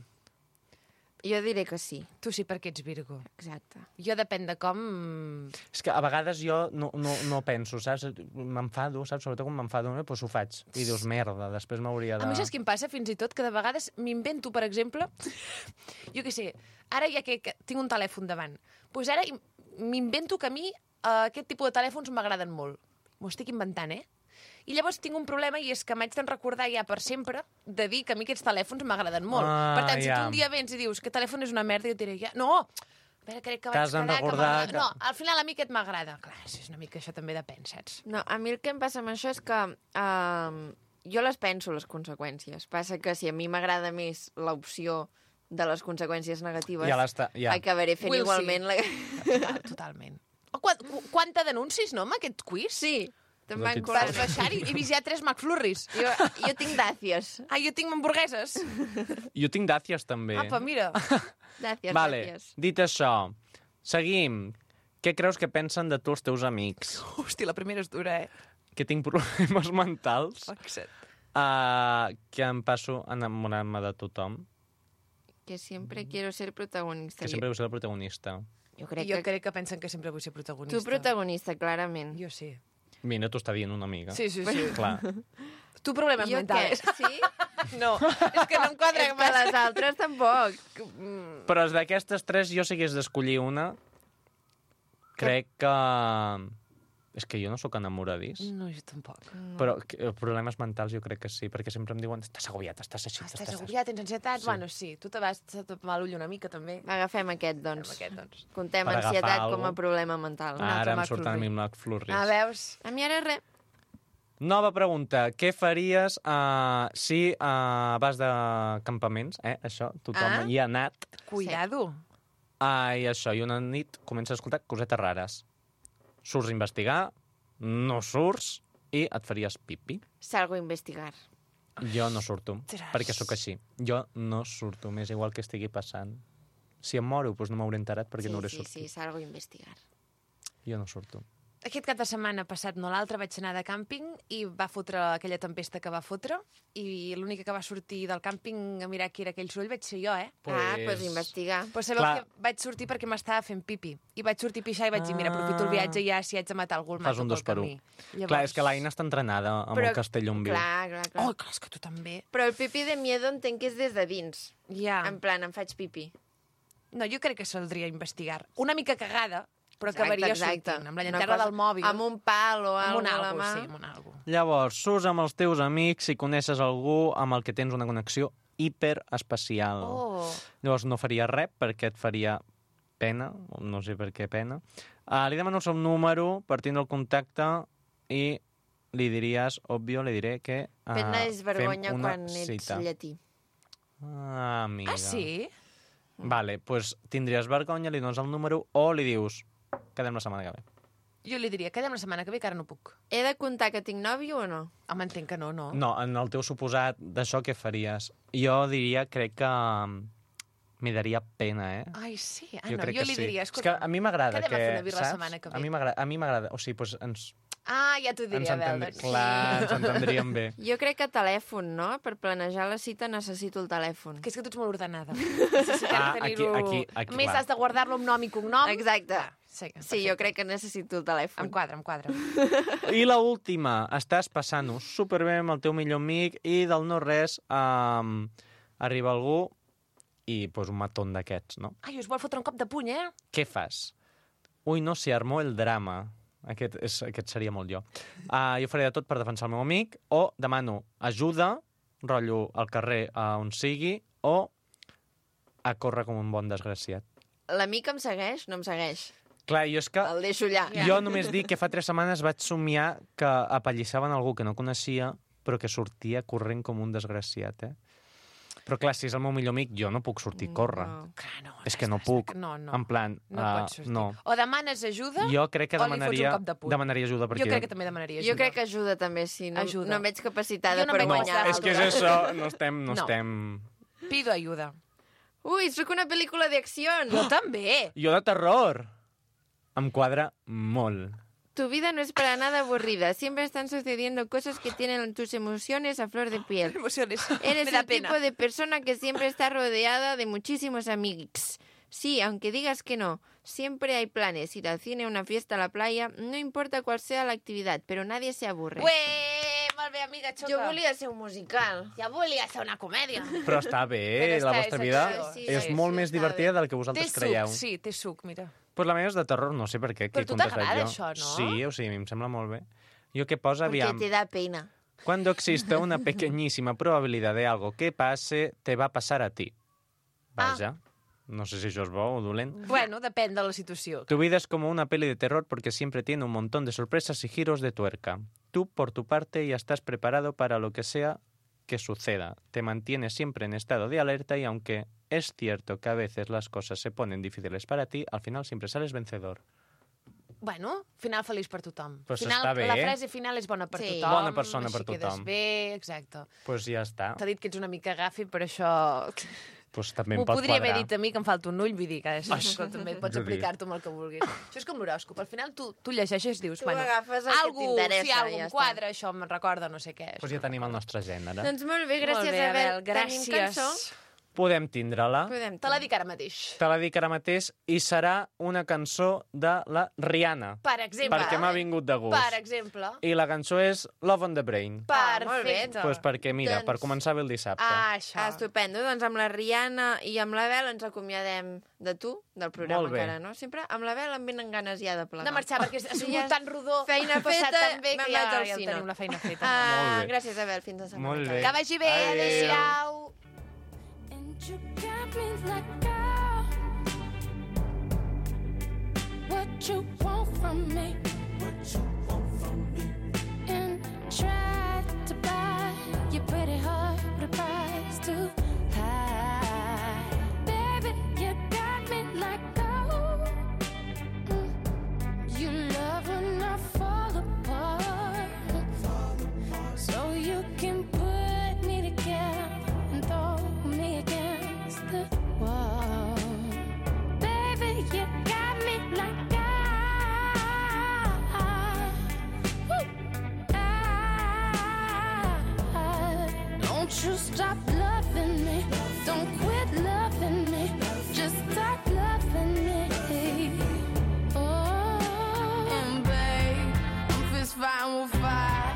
Jo diré que sí,
Tu sí perquè ets Virgo.
exacte.
Jo depèn de com...
És que a vegades jo no penso, saps? M'enfado, saps? Sobretot quan m'enfado, doncs ho faig. I dius, merda, després m'hauria de...
A mi saps què em passa, fins i tot, que de vegades m'invento, per exemple, jo què sé, ara ja que tinc un telèfon davant, doncs ara m'invento que a mi aquest tipus de telèfons m'agraden molt. M'ho estic inventant, I llavors tinc un problema i és que m'haig de recordar ja per sempre de dir que a mi aquests telèfons m'agraden molt. Per tant, si tu un dia vens i dius que el telèfon és una merda, jo et diré, ja, no, a veure, crec que vaig
T'has de
quedar que
recordar
m'agrada. No, al final a mi aquest m'agrada. Clar, és una mica això també depèn, saps?
No, a mi el que em passa amb això és que jo les penso, les conseqüències. Passa que si a mi m'agrada més l'opció de les conseqüències negatives,
Ja.
acabaré fent
Will
igualment la...
Totalment. Quanta denuncis, no, amb aquest quiz?
Sí, te'n van
Vas
Vas
colant.
baixar i he vist ja 3 McFlurries.
Jo tinc dàcies.
Jo tinc hamburgueses.
Jo tinc dàcies, també.
Apa, mira.
Dàcies,
Vale,
dàcies.
dit això, seguim. Què creus que pensen de tu els teus amics?
Hosti, la primera és dura,
Que tinc problemes mentals?
Fixa't.
Que em passo enamorant-me de tothom?
Que sempre quiero ser protagonista.
Que sempre vull ser el protagonista.
Jo crec
Jo
que...
crec que pensen que sempre vull ser protagonista.
Tu protagonista, clarament.
Jo sí.
Mira, t'ho està dient una amiga.
Sí.
Clar.
Tu problemes
Jo
mentals.
què? Sí?
No, és que no em quadra
És que les altres tampoc.
Però d'aquestes 3, jo si hagués d'escollir una, crec que... És que jo no sóc enamoradís.
No, jo tampoc.
Però problemes mentals jo crec que sí, perquè sempre em diuen estàs agobiat, estàs així,
Estàs agobiat, tens ansietat?
Sí.
Bueno, sí. Tu te vas tapar l'ull una mica, també.
Agafem aquest, doncs.
Aquest, doncs.
Contem
Per agafar
ansietat
algo.
com a problema mental.
Ara em
McFlurry.
surten a mi McFlurries.
Ah, veus?
A mi ara res.
Nova pregunta. Què faries si vas de campaments? Això, tothom hi ha anat.
Cuidado.
I això, i una nit comences a escoltar cosetes rares. Surts a investigar, no surts i et faries pipi.
Salgo a investigar.
Jo no surto,
Ostres.
perquè sóc així. Jo no surto, m'és igual que estigui passant. Si em moro, doncs no m'hauré enterat perquè no hauré sortit.
Sí, salgo a investigar.
Jo no surto.
Aquest cap de setmana passat, no l'altre, vaig anar de càmping i va fotre aquella tempesta que va fotre i l'única que va sortir del càmping a mirar qui era aquell soroll vaig ser jo,
Doncs investigar.
Però sabeu
Clar.
que vaig sortir perquè m'estava fent pipi. I vaig sortir a pixar i vaig dir, mira, aprofito el viatge ja si haig de matar algú el
Fas
mato
un dos
pel
per
camí.
un. Clar, és que l'Aina està entrenada amb el castell on viu.
Clar.
Oh, clar, és que tu també.
Però el pipi de miedo entenc que és des de dins.
Ja.
En plan, em faig pipi.
No, jo crec que saldria a investigar. Una mica cagada, però acabaria sortint. Amb la
Una
llanterna
cosa-
del mòbil.
Amb un pal o
amb un
alguna a la
algo,
mà.
sí, amb un algo.
Llavors, surts amb els teus amics i coneixes algú amb el que tens una connexió hiperespecial.
Oh.
Llavors no faria res perquè et faria pena, no sé per què pena. Li demano el seu número per tindre el contacte i li diries, òbvio, li diré que
Pena és vergonya
fem una
quan ets
cita.
llatí.
Amiga.
Ah, sí?
Vale, doncs pues tindries vergonya, li dones el número o li dius, quedem la setmana que ve.
Jo li diria, quedem la setmana que ve, que ara no puc.
He de contar que tinc nòvio o no?
Home, entenc que no, no.
No, en el teu suposat d'això què faries? Jo diria, crec que m'hi daria pena, eh?
Ai, sí. Ah,
Jo
no,
crec
jo
que
li
sí.
diria,
És que
escolta,
a mi m'agrada
quedem
que,
a fer una birra la
saps?
setmana que ve.
A mi m'agrada, o sigui, doncs ens
Ah, ja t'ho diria, Belda.
clar, ens entendríem bé.
Jo crec que telèfon, no? Per planejar la cita necessito el telèfon.
Que és que tu ets molt ordenada. Necessitem tenir-ho...
aquí,
A més,
clar.
has de guardar-lo amb nom i cognom.
Exacte.
Sí,
Sí, jo crec que necessito el telèfon.
Em quadra, em quadra.
I la última, estàs passant-ho superbé amb el teu millor amic i del no-res arriba algú i pues, un matón d'aquests, no?
Ai, us vol fotre un cop de puny, eh?
Què fas? Ui, no, se armó el drama. Aquest seria molt jo. Jo faré de tot per defensar el meu amic o demano ajuda, rotllo al carrer on sigui, o a córrer com un bon desgraciat.
L'amic em segueix? No em segueix.
Clar, jo és que...
El deixo allà.
Jo només dic que fa 3 setmanes vaig somiar que apallissaven algú que no coneixia, però que sortia corrent com un desgraciat, eh? Però clar, si és el meu millor amic, jo no puc sortir a córrer.
No.
Clar, no.
És que no puc.
No, no.
En plan,
No pots sortir.
no.
O demanes ajuda,
Jo crec que
o li fots un cop de puny.
demanaria ajuda. Perquè
jo crec que també demanaria ajuda.
Jo crec que ajuda també, sí. No,
Ajuda.
no em veig capacitada
Jo no
per
em veig
guanyar.
capacitada.
és que és això, no estem...
No. Pido ayuda.
Ui, sóc una pel·lícula d'acció.
Jo també.
Jo de terror. Em quadra molt.
Tu vida no es para nada aburrida. Siempre están sucediendo cosas que tienen tus emociones a flor de piel.
Emociones.
Eres
Me da
el
pena.
tipo de persona que siempre está rodeada de muchísimos amigos. Sí, aunque digas que no, siempre hay planes. Ir al cine, a una fiesta, a la playa, no importa cuál sea la actividad, pero nadie se aburre.
Ué, molt bé, amiga, xoca.
Jo volia ser un musical.
Ja volia fer una comèdia.
Però està bé,
Però
la
està-
vostra
és
vida
acció,
sí,
és
sí,
molt
sí,
més
està
divertida
bé.
del que
Té
vosaltres
suc,
creieu.
sí, té suc, mira.
Pues la meva és de terror, no sé per què.
Però
qui
tu
contestat
t'agrada
jo.
això, no?
Sí, o sigui, a mi em sembla molt bé. Jo què posa,
Porque
aviam.
te da pena.
Cuando existe una pequeñísima probabilidad de algo que pase, te va a pasar a ti. Vaja. No sé si això és bo o dolent.
Bueno, depèn de la situació.
Tu vida es como una peli de terror porque siempre tiene un montón de sorpresas y giros de tuerca. Tú, por tu parte, ya estás preparado para lo que sea que suceda. Te mantienes siempre en estado de alerta y aunque es cierto que a veces las cosas se ponen difíciles para ti, al final siempre sales vencedor.
Bueno, final feliç per tothom.
Pues
final,
està bé.
La frase final és bona per
Sí.
tothom.
Bona persona per
així quedes
tothom.
bé, exacte.
Pues ja està.
T'ha dit que ets una mica gafi, però això...
Pues també
M'ho
em pot
podria
quadrar.
haver dit a mi, que em falta un ull, vull dir que també pots
Jo dic.
aplicar-t'ho amb el que vulguis. Això és com l'horòscop. Al final tu llegeixes i dius,
Tu agafes el que t'interessa
si algú
i ja
em
està.
quadra, això em recorda no sé què.
Pues ja tenim el nostre gènere.
Doncs molt bé, gràcies,
Molt bé,
Abel.
gràcies.
Tenim cançó?
Podem tindre-la.
Podem.
Te la dic ara mateix.
Te la dic ara mateix i serà una cançó de la Rihanna.
Per exemple.
Perquè m'ha vingut de gust.
Per exemple.
I la cançó és Love on the Brain.
molt bé.
Perfecte.
Pues perquè, mira,
Doncs-
per començar bé el dissabte.
Això.
Estupendo. Doncs amb la Rihanna i amb l'Abel ens acomiadem de tu, del programa
Molt bé.
encara, no? Sempre amb l'Abel em venen ganes ja de plegar.
De marxar, perquè ha
Sí,
sigut
ja
tan rodó.
feina
ha passat
feta,
tan bé
me'n
que
vaig
ja,
al
ja
cine.
tenim la feina feta.
Molt bé.
Gràcies, Abel. Fins la setmana
Molt
que
bé.
ve.
Que vagi bé.
Adéu.
Adéu-siau.
And you got me like, girl, what you want from me? And try to buy your pretty heart with a price too high. Baby, you got me like, oh, you love when I fall apart, so you can put me together and throw me against the wall. Baby, you got me like don't you stop loving me, don't quit loving me, just stop loving me. Oh, and babe, I'm fist fighting with fire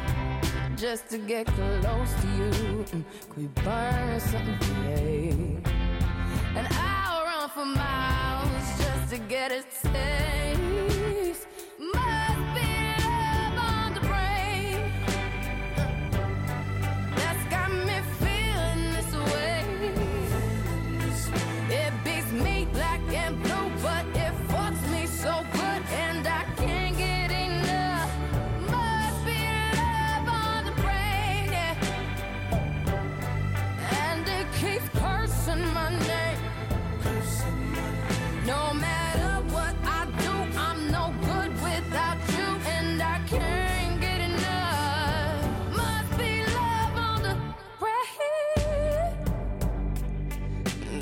just to get close to you. Could we burn something, babe? And I'll run for miles just to get a taste. Must be love on the brain that's got me feeling this way. It beats me black and blue, but it fucks me so good, and I can't get enough. Must be love on the brain, yeah. And it keeps cursing my name. No matter what I do, I'm no good without you, and I can't get enough. Must be love on the brain.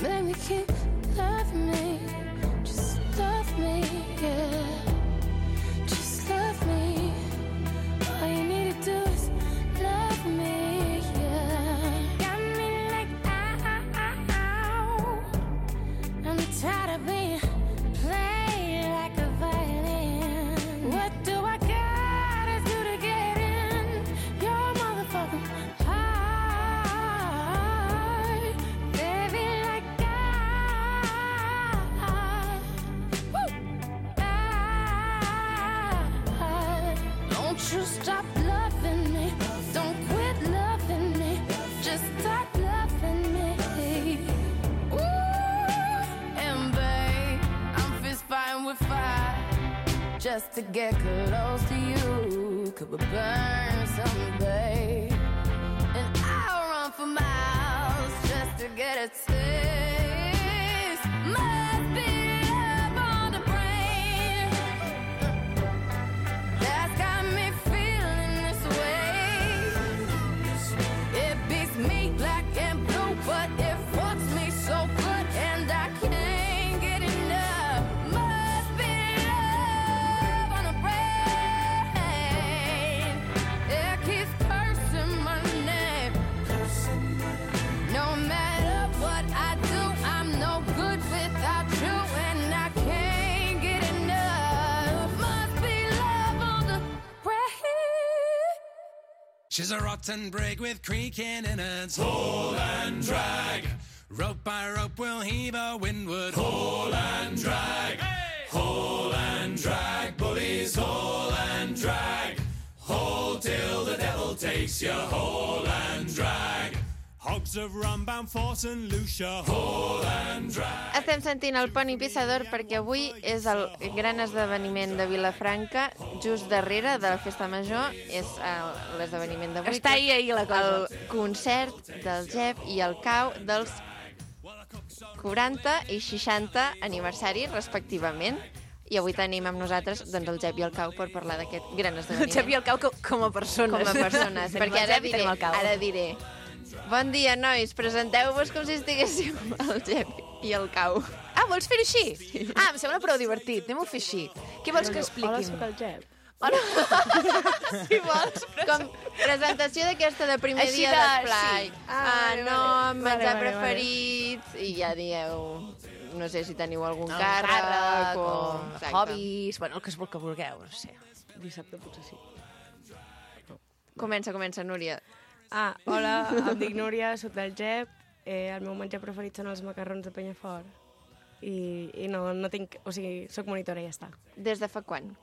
Baby, keep loving me, just love me, yeah. Just love me. All you need to do is love me, yeah. Got me like, ow. I'm tired of being played like a violin. What do I gotta do to get in your motherfucking heart? Baby, like don't you stop loving me, don't quit loving me, just stop loving me. Ooh, and babe, I'm fist fighting with fire just to get close to you. Could we burn something, babe? And I'll run for miles just to get a taste. Must be love on the brain that's got me feeling this way. It beats me black and blue, but it fucks me so good, and I can't get enough. Must be love on the brain. It keeps cursing my name. No matter what I do, I'm no good without you, and I can't get enough. Must be love on the brain.
She's a rotten brig with creaking innards. Haul and drag. Rope by rope we'll heave her windward. Haul and drag. Haul and drag. Bullies, haul and drag. Haul till the devil takes you. Haul and drag. Hogs of rum bound for St. Lucia. Haul and drag.
Estem sentint el Poni Pissador perquè avui és el gran esdeveniment de Vilafranca, just darrere de la Festa Major. És l'esdeveniment d'avui.
Està ahir la cosa.
El concert del Jep i el cau dels 40 i 60 aniversari, respectivament. I avui tenim amb nosaltres doncs, el Jep i el Cau per parlar d'aquest gran
El
esdeveniment.
Jep i el Cau com a persones.
Com a persones,
Tenim
perquè
el Jep i tenim el Cau.
ara diré. Bon dia, nois, presenteu-vos com si estiguéssiu el Jep i el Cau.
Ah, vols fer-ho així? Sí. Ah, em sembla prou divertit. Anem-ho a fer així. Què vols que expliquin?
Hola, sóc el Jep.
Si vols.
Com presentació d'aquesta de primer
Així
dia
de-
d'esplai.
sí.
Nom,
Vale,
menjar
vale,
preferits, i ja dieu... No sé si teniu algun
El
càrrec o...
o
Exacte.
hobbies, bueno, el que vulgueu, no sé.
Dissabte potser sí.
Comença, Núria.
Ah, hola, em dic Núria, sóc del Jep. El meu menjar preferit són els macarrons de Penyafort. I no tinc... O sigui, sóc monitora i ja està.
Des de fa quan?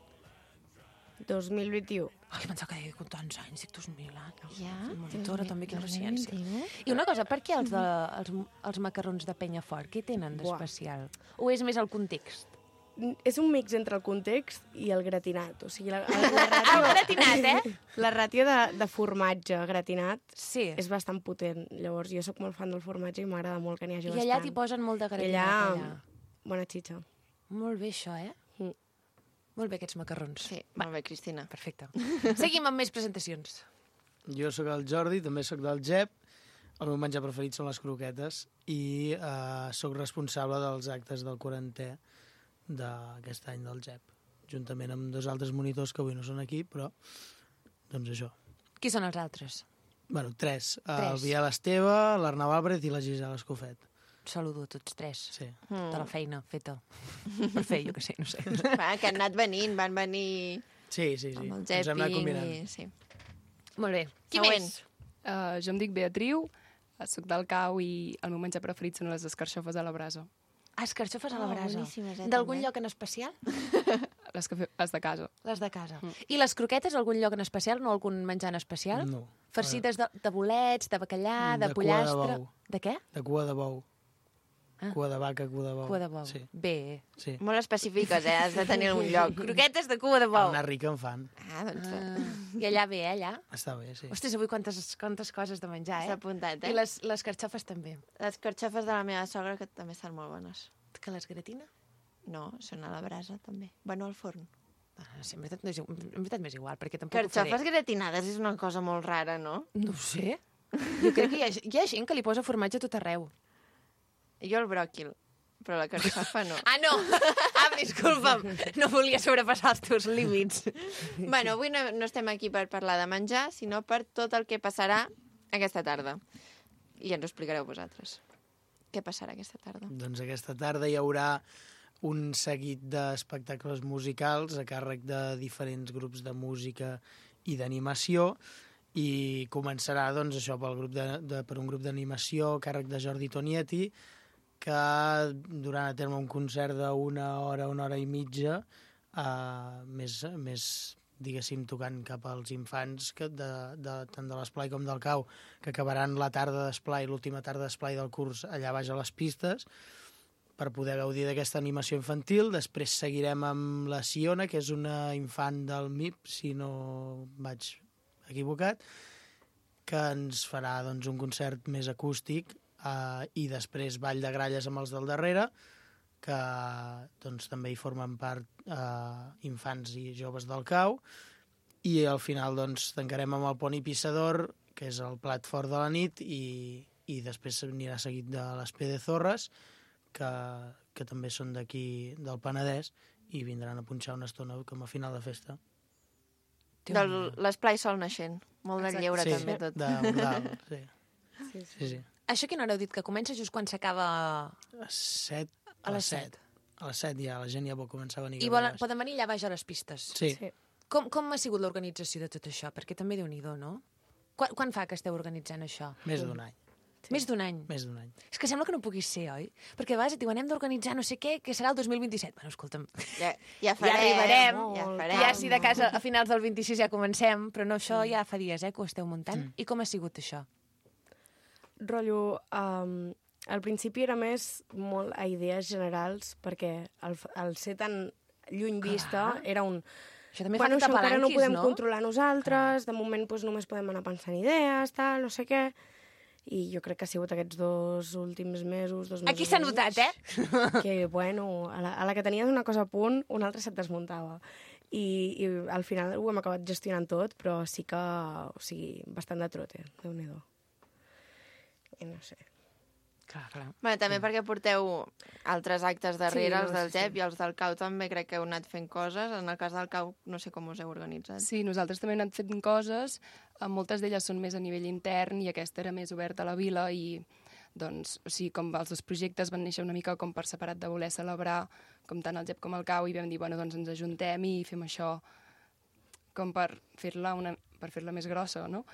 2021.
Ai, pensava que deia que tants anys, dic 2000 anys.
Ja?
Monitora, també, quina paciència. I una cosa, per què els macarrons de Penyafort? Què tenen d'especial? O és més el context?
És un mix entre el context i el gratinat. O sigui,
El gratinat, eh?
la ràtio de formatge gratinat
Sí.
és bastant potent. Llavors, jo sóc molt fan del formatge i m'agrada molt que n'hi hagi
I
bastant.
allà t'hi posen molt de
I
gratinat, allà.
bona xitxa.
Molt bé, això, eh?
Mm.
Molt bé, aquests macarrons.
Sí, molt bé, Cristina.
Perfecte. Seguim amb més presentacions.
Jo sóc el Jordi, també sóc del Jep. El meu menjar preferit són les croquetes i sóc responsable dels actes del 40è d'aquest any del Jep, juntament amb dos altres monitors que avui no són aquí, però doncs això.
Qui són els altres?
Bueno, tres. El
Tres.
Biel Esteve, l'Arnau Álvarez i la Gisela Escofet.
Saludo a tots tres.
Sí.
De la feina feta. Per fer, jo què sé, no sé.
Va, que han anat venint, van venir
Sí, sí, sí.
amb el
Ens hem anat
Jepi.
combinant.
Sí.
Molt bé. Qui
Següent.
més?
Jo em dic Beatriu, sóc del Cau i el meu menjar preferit són les escarxofes a la brasa.
Ah, escarxofes a la brasa.
boníssimes,
D'algun
també.
lloc en especial?
Les de casa.
Les de casa. I les croquetes, algun lloc en especial? No algun menjar en especial?
No.
Farcides de bolets, de bacallà, de
De cua de
pollastre...
bou.
De què?
De cua de bou.
Ah.
Cua de vaca, cua de bou.
Cua de bou.
Sí,
Bé.
sí.
Molt específiques, has de tenir algun lloc.
Croquetes de cua de bou.
Una rica en fan.
Ah, doncs
I allà bé, allà?
Està bé, sí.
Ostres, avui quantes coses de menjar,
s'ha
eh?
apuntat,
I les carxofes també.
Les carxofes de la meva sogra, que també estan molt bones.
Que les gratina?
No, són a la brasa, també. Bueno, al forn.
Ah, sí, en veritat m'és igual, perquè tampoc ho
Carxofes
faré.
gratinades és una cosa molt rara, no?
No ho sé. Jo crec que hi ha gent que li posa formatge a tot arreu.
Jo el bròquil, però la carxofa no.
Ah, no! Ah, disculpa'm. No volia sobrepassar els teus límits.
Bueno, avui no estem aquí per parlar de menjar, sinó per tot el que passarà aquesta tarda. I ens ho explicareu vosaltres. Què passarà aquesta tarda?
Doncs aquesta tarda hi haurà un seguit d'espectacles musicals a càrrec de diferents grups de música i d'animació i començarà doncs, això per un grup d'animació a càrrec de Jordi Tonietti que durant a terme un concert d'una hora i mitja més diguéssim, tocant cap als infants tant de l'esplai com del Cau, que acabaran la tarda d'esplai, l'última tarda d'esplai del curs allà baix a les pistes, per poder gaudir d'aquesta animació infantil. Després seguirem amb la Siona, que és una infant del MIP, si no vaig equivocat, que ens farà doncs, un concert més acústic i després ball de gralles amb els del darrere, que doncs, també hi formen part infants i joves del Cau, i al final doncs, tancarem amb el Poni Pissador, que és el plat fort de la nit, i després anirà seguit de les Pedezorres, que també són d'aquí del Penedès, i vindran a punxar una estona com a final de festa.
L'esplai sol naixent. Molt de lleure,
sí,
també, tot.
De bordal, sí. Sí.
Això quina hora heu dit que comença just quan s'acaba...
A les 7. A les 7 ja, la gent ja pot començar a venir.
I poden venir allà baix a les pistes.
Sí.
Com ha sigut l'organització de tot això? Perquè també Déu-n'hi-do, no? Quan fa que esteu organitzant això?
Més d'un any.
Sí. Més d'un any?
Més d'un any.
És que sembla que no puguis ser, oi? Perquè a vegades et diuen, hem d'organitzar no sé què, que serà el 2027. Bueno, escolta'm,
ja farem,
ja arribarem.
Ja farem.
Ja, si de casa a finals del 26 ja comencem, però no, això ja fa dies, que ho esteu muntant. I com ha sigut això?
Rotllo, al principi era més molt a idees generals, perquè el ser tan lluny vista era un...
Això també
bueno,
fa que
això encara no
t'apalanquis,
podem
no?
controlar nosaltres, de moment doncs, només podem anar pensant idees, tal, no sé què. I jo crec que ha sigut aquests 2 últims mesos, 2 mesos
Aquí s'ha
i mig,
notat,
que, bueno, a la que tenies una cosa a punt, una altra se't desmuntava. I al final ho hem acabat gestionant tot, però sí que, o sigui, bastant de trote, Déu-n'hi-do. I no sé.
Clar.
Bueno, també perquè porteu altres actes darrere,
Sí,
els del
sí.
GEP i els del CAU també crec que heu anat fent coses. En el cas del CAU no sé com us heu organitzat.
Sí, nosaltres també hem anat fent coses, moltes d'elles són més a nivell intern i aquesta era més oberta a la vila i doncs, o sigui, com els 2 projectes van néixer una mica com per separat de voler celebrar com tant el GEP com el CAU i vam dir, bueno, doncs ens ajuntem i fem això com per fer-la més grossa, no?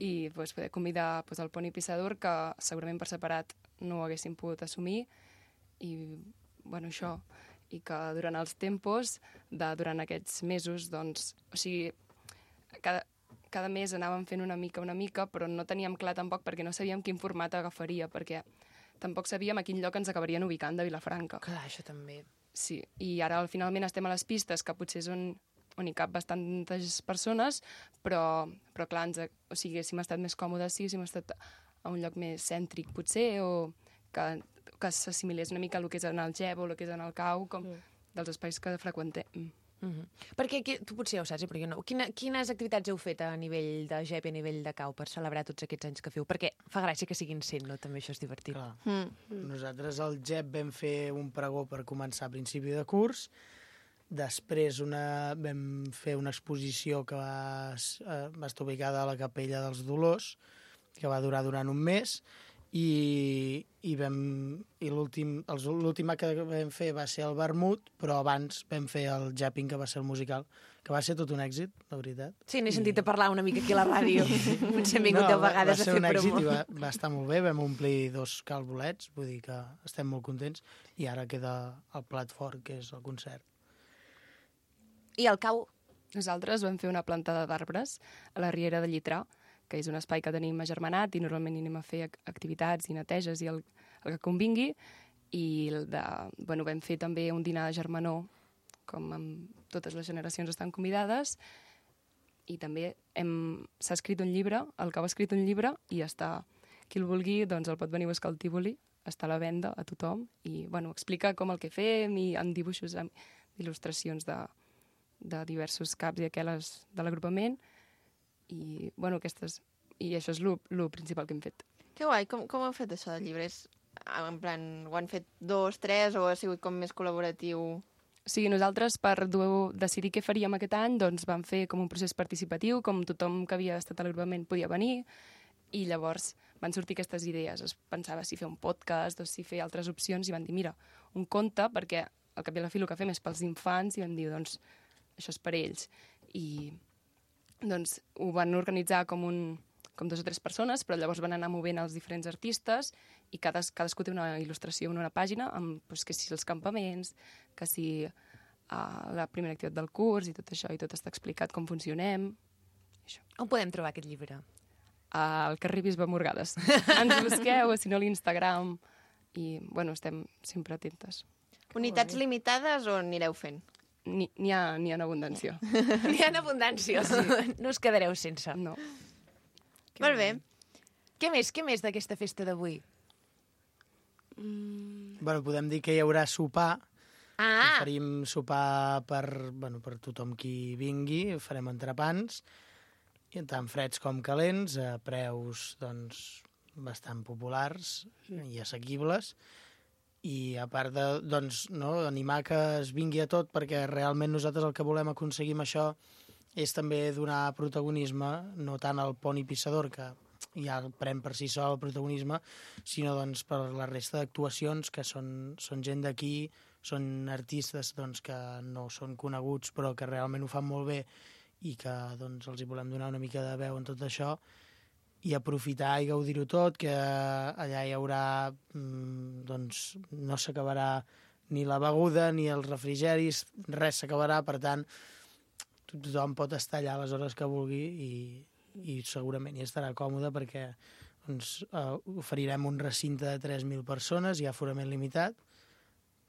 I doncs, poder convidar el Poni Pissador, que segurament per separat no ho haguessin pogut assumir, i bueno, això, i que durant els tempos, durant aquests mesos, doncs, o sigui, cada mes anàvem fent una mica, però no teníem clar tampoc perquè no sabíem quin format agafaria, perquè tampoc sabíem a quin lloc ens acabarien ubicant de Vilafranca.
Clar, això també.
Sí, i ara finalment estem a les pistes, que potser és on hi cap bastantes persones, però clar, o sigui, haguéssim estat més còmodes si haguéssim estat a un lloc més cèntric, potser, o que s'assimilés una mica el que és en el GEP o el que és en el CAU, com dels espais que freqüentem.
Perquè tu potser ja ho saps, però jo no. Quines activitats heu fet a nivell de GEP i a nivell de CAU per celebrar tots aquests anys que feu? Perquè fa gràcia que siguin 100, no? També això és divertit.
Nosaltres al GEP vam fer un pregó per començar a principi de curs, després vam fer una exposició que va estar ubicada a la Capella dels Dolors, que va durar durant un mes, i l'últim que vam fer va ser el vermut, però abans vam fer el Japping, que va ser el musical, que va ser tot un èxit, la veritat.
Sí, n'he sentit a parlar una mica aquí a la ràdio. Potser hem vingut 10 vegades a fer promo.
Va ser un èxit i va estar molt bé, vam omplir 2 calbolets, vull dir que estem molt contents, i ara queda el plat fort, que és el concert.
I el CAU?
Nosaltres vam fer una plantada d'arbres a la Riera de Llitrà, que és un espai que tenim agermanat i normalment hi anem a fer activitats i neteges i el que convingui. I vam fer també un dinar de germanor, com amb totes les generacions estan convidades, i també s'ha escrit un llibre, el CAU ha escrit un llibre, i està, qui el vulgui, doncs el pot venir a buscar al Tívoli, està a la venda a tothom, i explica com el que fem, i amb dibuixos, amb il·lustracions de diversos caps i aquelles de l'agrupament, i això és el principal que hem fet.
Que guai, com heu fet això del llibre? En plan, ho han fet 2, 3 o ha sigut com més col·laboratiu?
O sigui, nosaltres per decidir què faríem aquest any doncs vam fer com un procés participatiu, com tothom que havia estat a l'agrupament podia venir, i llavors van sortir aquestes idees. Es pensava si fer un podcast o si fer altres opcions, i van dir, mira, un conte, perquè al cap i a la fi el que fem és pels infants, i vam dir, doncs, això és per ells. I doncs ho van organitzar com 2 o 3 persones, però llavors van anar movent els diferents artistes i cadascú té una il·lustració en una pàgina amb que si els campaments, que si la primera activitat del curs i tot això, i tot està explicat com funcionem. Això.
On podem trobar aquest llibre?
Al carrer Bisbe Morgades. Ens busqueu, o si no, a l'Instagram, i estem sempre atentes.
Unitats limitades o anireu fent?
N'hi ha en abundància.
N'hi ha en abundància, sí. No us quedareu sense.
No.
Molt bé.
Què més d'aquesta festa d'avui?
Podem dir que hi haurà sopar. Oferim sopar per tothom qui vingui. Farem entrepans, tant freds com calents, a preus bastant populars i assequibles. I a part animar que es vingui a tot, perquè realment nosaltres el que volem aconseguir amb això és també donar protagonisme, no tant al Poni Pissador, que ja pren per si sol el protagonisme, sinó per la resta d'actuacions, que són gent d'aquí, són artistes que no són coneguts però que realment ho fan molt bé i que els hi volem donar una mica de veu en tot això, i aprofitar i gaudir-ho tot, que allà hi haurà, no s'acabarà ni la beguda ni els refrigeris, res s'acabarà, per tant, tothom pot estar allà a les hores que vulgui i segurament hi estarà còmode, perquè oferirem un recinte de 3.000 persones, hi ha aforament limitat,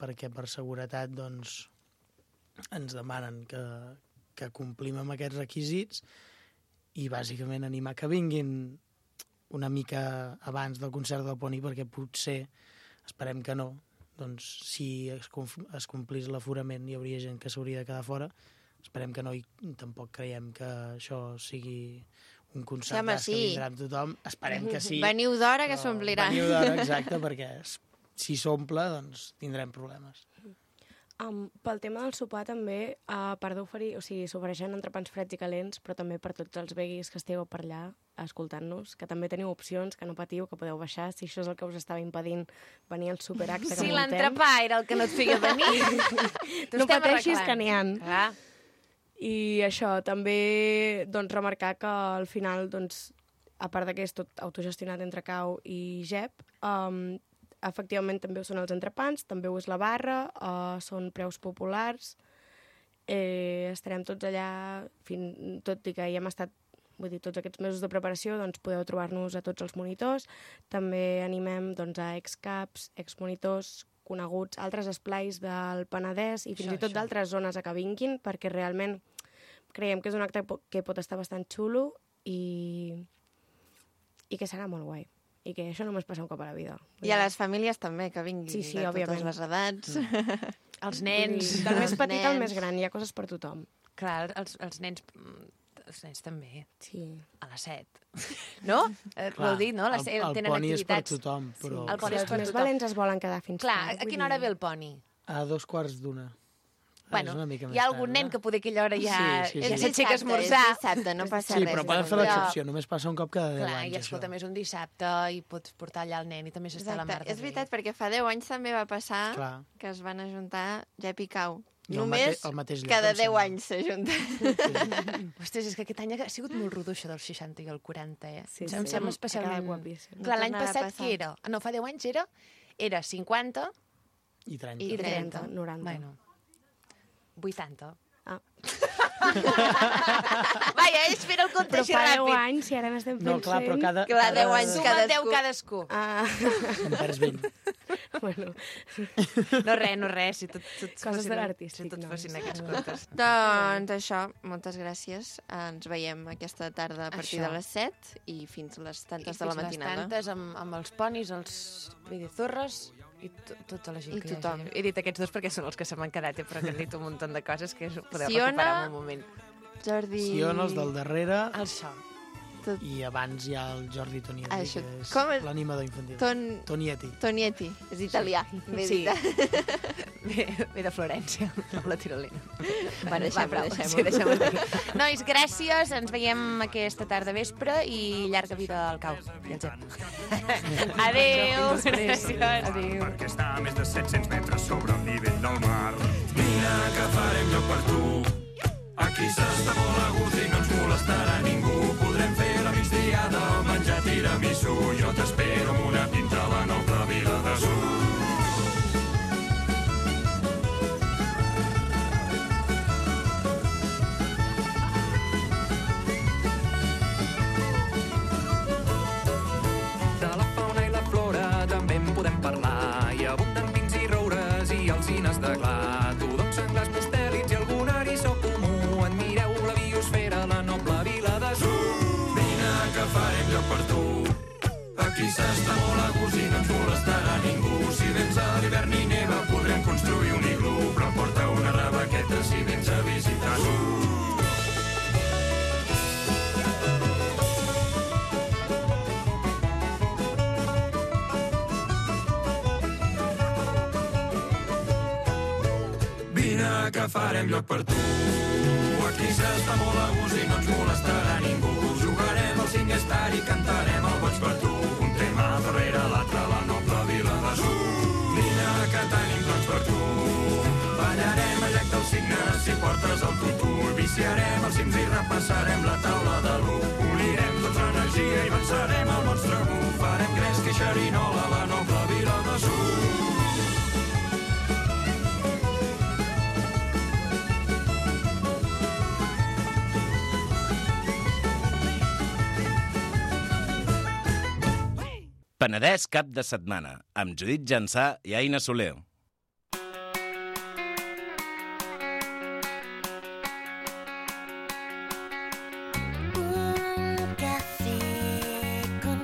perquè per seguretat ens demanen que complim amb aquests requisits, i bàsicament animar que vinguin una mica abans del concert del Poni, perquè potser, esperem que no, doncs si es complís l'aforament hi hauria gent que s'hauria de quedar fora, esperem que no, i tampoc creiem que això sigui un concert que vindrà amb tothom, esperem que sí.
Veniu d'hora que s'omplirà.
Veniu d'hora, exacte, perquè si s'omple, doncs tindrem problemes.
Pel tema del sopar també, a part d'oferir, o sigui, s'ofereixen entrepans freds i calents, però també per tots els veguis que esteu per allà escoltant-nos, que també teniu opcions, que no patiu, que podeu baixar, si això és el que us estava impedint venir al superacte que
Si
muntem.
l'entrepà era el que no et feia venir,
no pateixis que n'hi ha.
Ah.
I això, també doncs, remarcar que al final, doncs, a part que és tot autogestionat entre Cau i Jep, efectivament també ho són els entrepans, també ho és la barra, són preus populars, estarem tots allà, tot i que hi hem estat, vull dir, tots aquests mesos de preparació, doncs podeu trobar-nos a tots els monitors, també animem doncs, a excaps, exmonitors, coneguts, altres esplais del Penedès i fins i tot d'altres zones a que vinguin, perquè realment creiem que és un acte que pot estar bastant xulo i que serà molt guai. I que això només passa un cop a la vida.
I a les famílies també, que vinguin
sí,
de
òbviament.
totes les edats.
Els nens.
Del més petit al més gran, hi ha coses per tothom.
Clar, els nens també.
Sí.
A les 7. No? Ho heu dit, no?
El
tenen
poni és per
activitats.
tothom, però...
El poni és
Els
per
més
tothom.
valents es volen quedar fins
Clar,
tard.
a quina hora ve el poni?
A 2:15.
Bueno,
És una mica
hi ha
més
algun
tard,
nen que poder aquella hora ja
Sí.
ja s'aixeca a esmorzar.
És dissabte, no passa
Sí,
res.
però poden fer l'excepció, només passa un cop cada 10
Clar,
anys.
i escolta, més un dissabte i pots portar allà el nen i també s'està a la mar de
És veritat, perquè fa 10 anys també va passar
Clar.
que es van ajuntar Jep i Cau.
I el
Només
al mateix lloc,
cada
em
10
sembla.
anys s'ajunten.
Ostres, és que aquest any ha sigut molt rodó això dels 60 i el 40, eh?
Sí,
Em
sí.
sembla
Ha
especialment...
quedat guapíssim.
Clar, l'any
No tornarà a
passat
passar.
què era? No, fa 10 anys era 50
I 30.
i 30.
90.
Bueno, 80.
Ah.
Vaja, espera el compte
Però
així
fa 10
ràpid.
anys, si ara n'estem fent
No, clar, però
100...
cada...
Clar, 10 anys
Suma 10 cadascú.
En perds 20.
Bueno,
No res, si tot
Coses de l'artístic,
si tot
no?
fossin aquests comptes.
Doncs això, moltes gràcies. Ens veiem aquesta tarda a partir
Això.
de les 7 i fins les tantes
I
de la
fins les
matinada.
tantes amb els ponis, els vidizorres i tota la gent
I
que
tothom.
hi hagi. He dit aquests dos perquè són els que se m'han quedat, però que han dit un munt de coses que podeu
Siona,
recuperar en un moment.
Jordi...
Sion, els del darrere,
Això.
i abans hi ha el Jordi Tonietti,
Això,
que és
com és?
l'animador infantil.
Tonietti,
Tonietti.
és italià.
Sí. Ve de Florència, amb la tirolina.
Bueno, deixem-ho.
Sí, deixem-ho aquí. Nois, gràcies. Ens veiem aquesta tarda vespre i llarga vida al cau. I al Jep. Adéu. Gràcies. Adéu.
Perquè està a més de 700 metres sobre el nivell del mar. Vine que farem lloc per tu. Aquí s'està molt a gust i no ens molestarà ningú. Podrem fer la migdiada o menjar tiramisú. Jo t'espero amb una pinta a la noble vila de Sur. De la fauna i la flora també en podem parlar. Hi abunden pins i roures i alzines de gla. Tudons, senglars, mustèlids i algun eriçó comú. Admireu la biosfera, la noble vila de Sur. Vine que farem lloc per tu. Aquí s'està molt a gust i no ens molestarà ningú. Si vens a l'hivern i neva podrem construir un iglú. Però porta una rebequeta si vens a visitar Sur. Vine que farem lloc per tu. Aquí s'està molt a gust i no ens molestarà ningú. Jugarem al SingStar i cantarem el Boig per tu. Un tema darrere l'altre a la noble vila de Sur. Vine que tenim plans per tu. Ballarem al llac dels Cignes si portes el tutú. Viciarem els cims i repassarem la taula de l'1. Unirem tota l'energia i vencerem el monstre mu. Farem gresca i xerinola a la noble vila de Sur.
Penedès cap de setmana, amb Judit Jansà i Aina Soler.
Un café con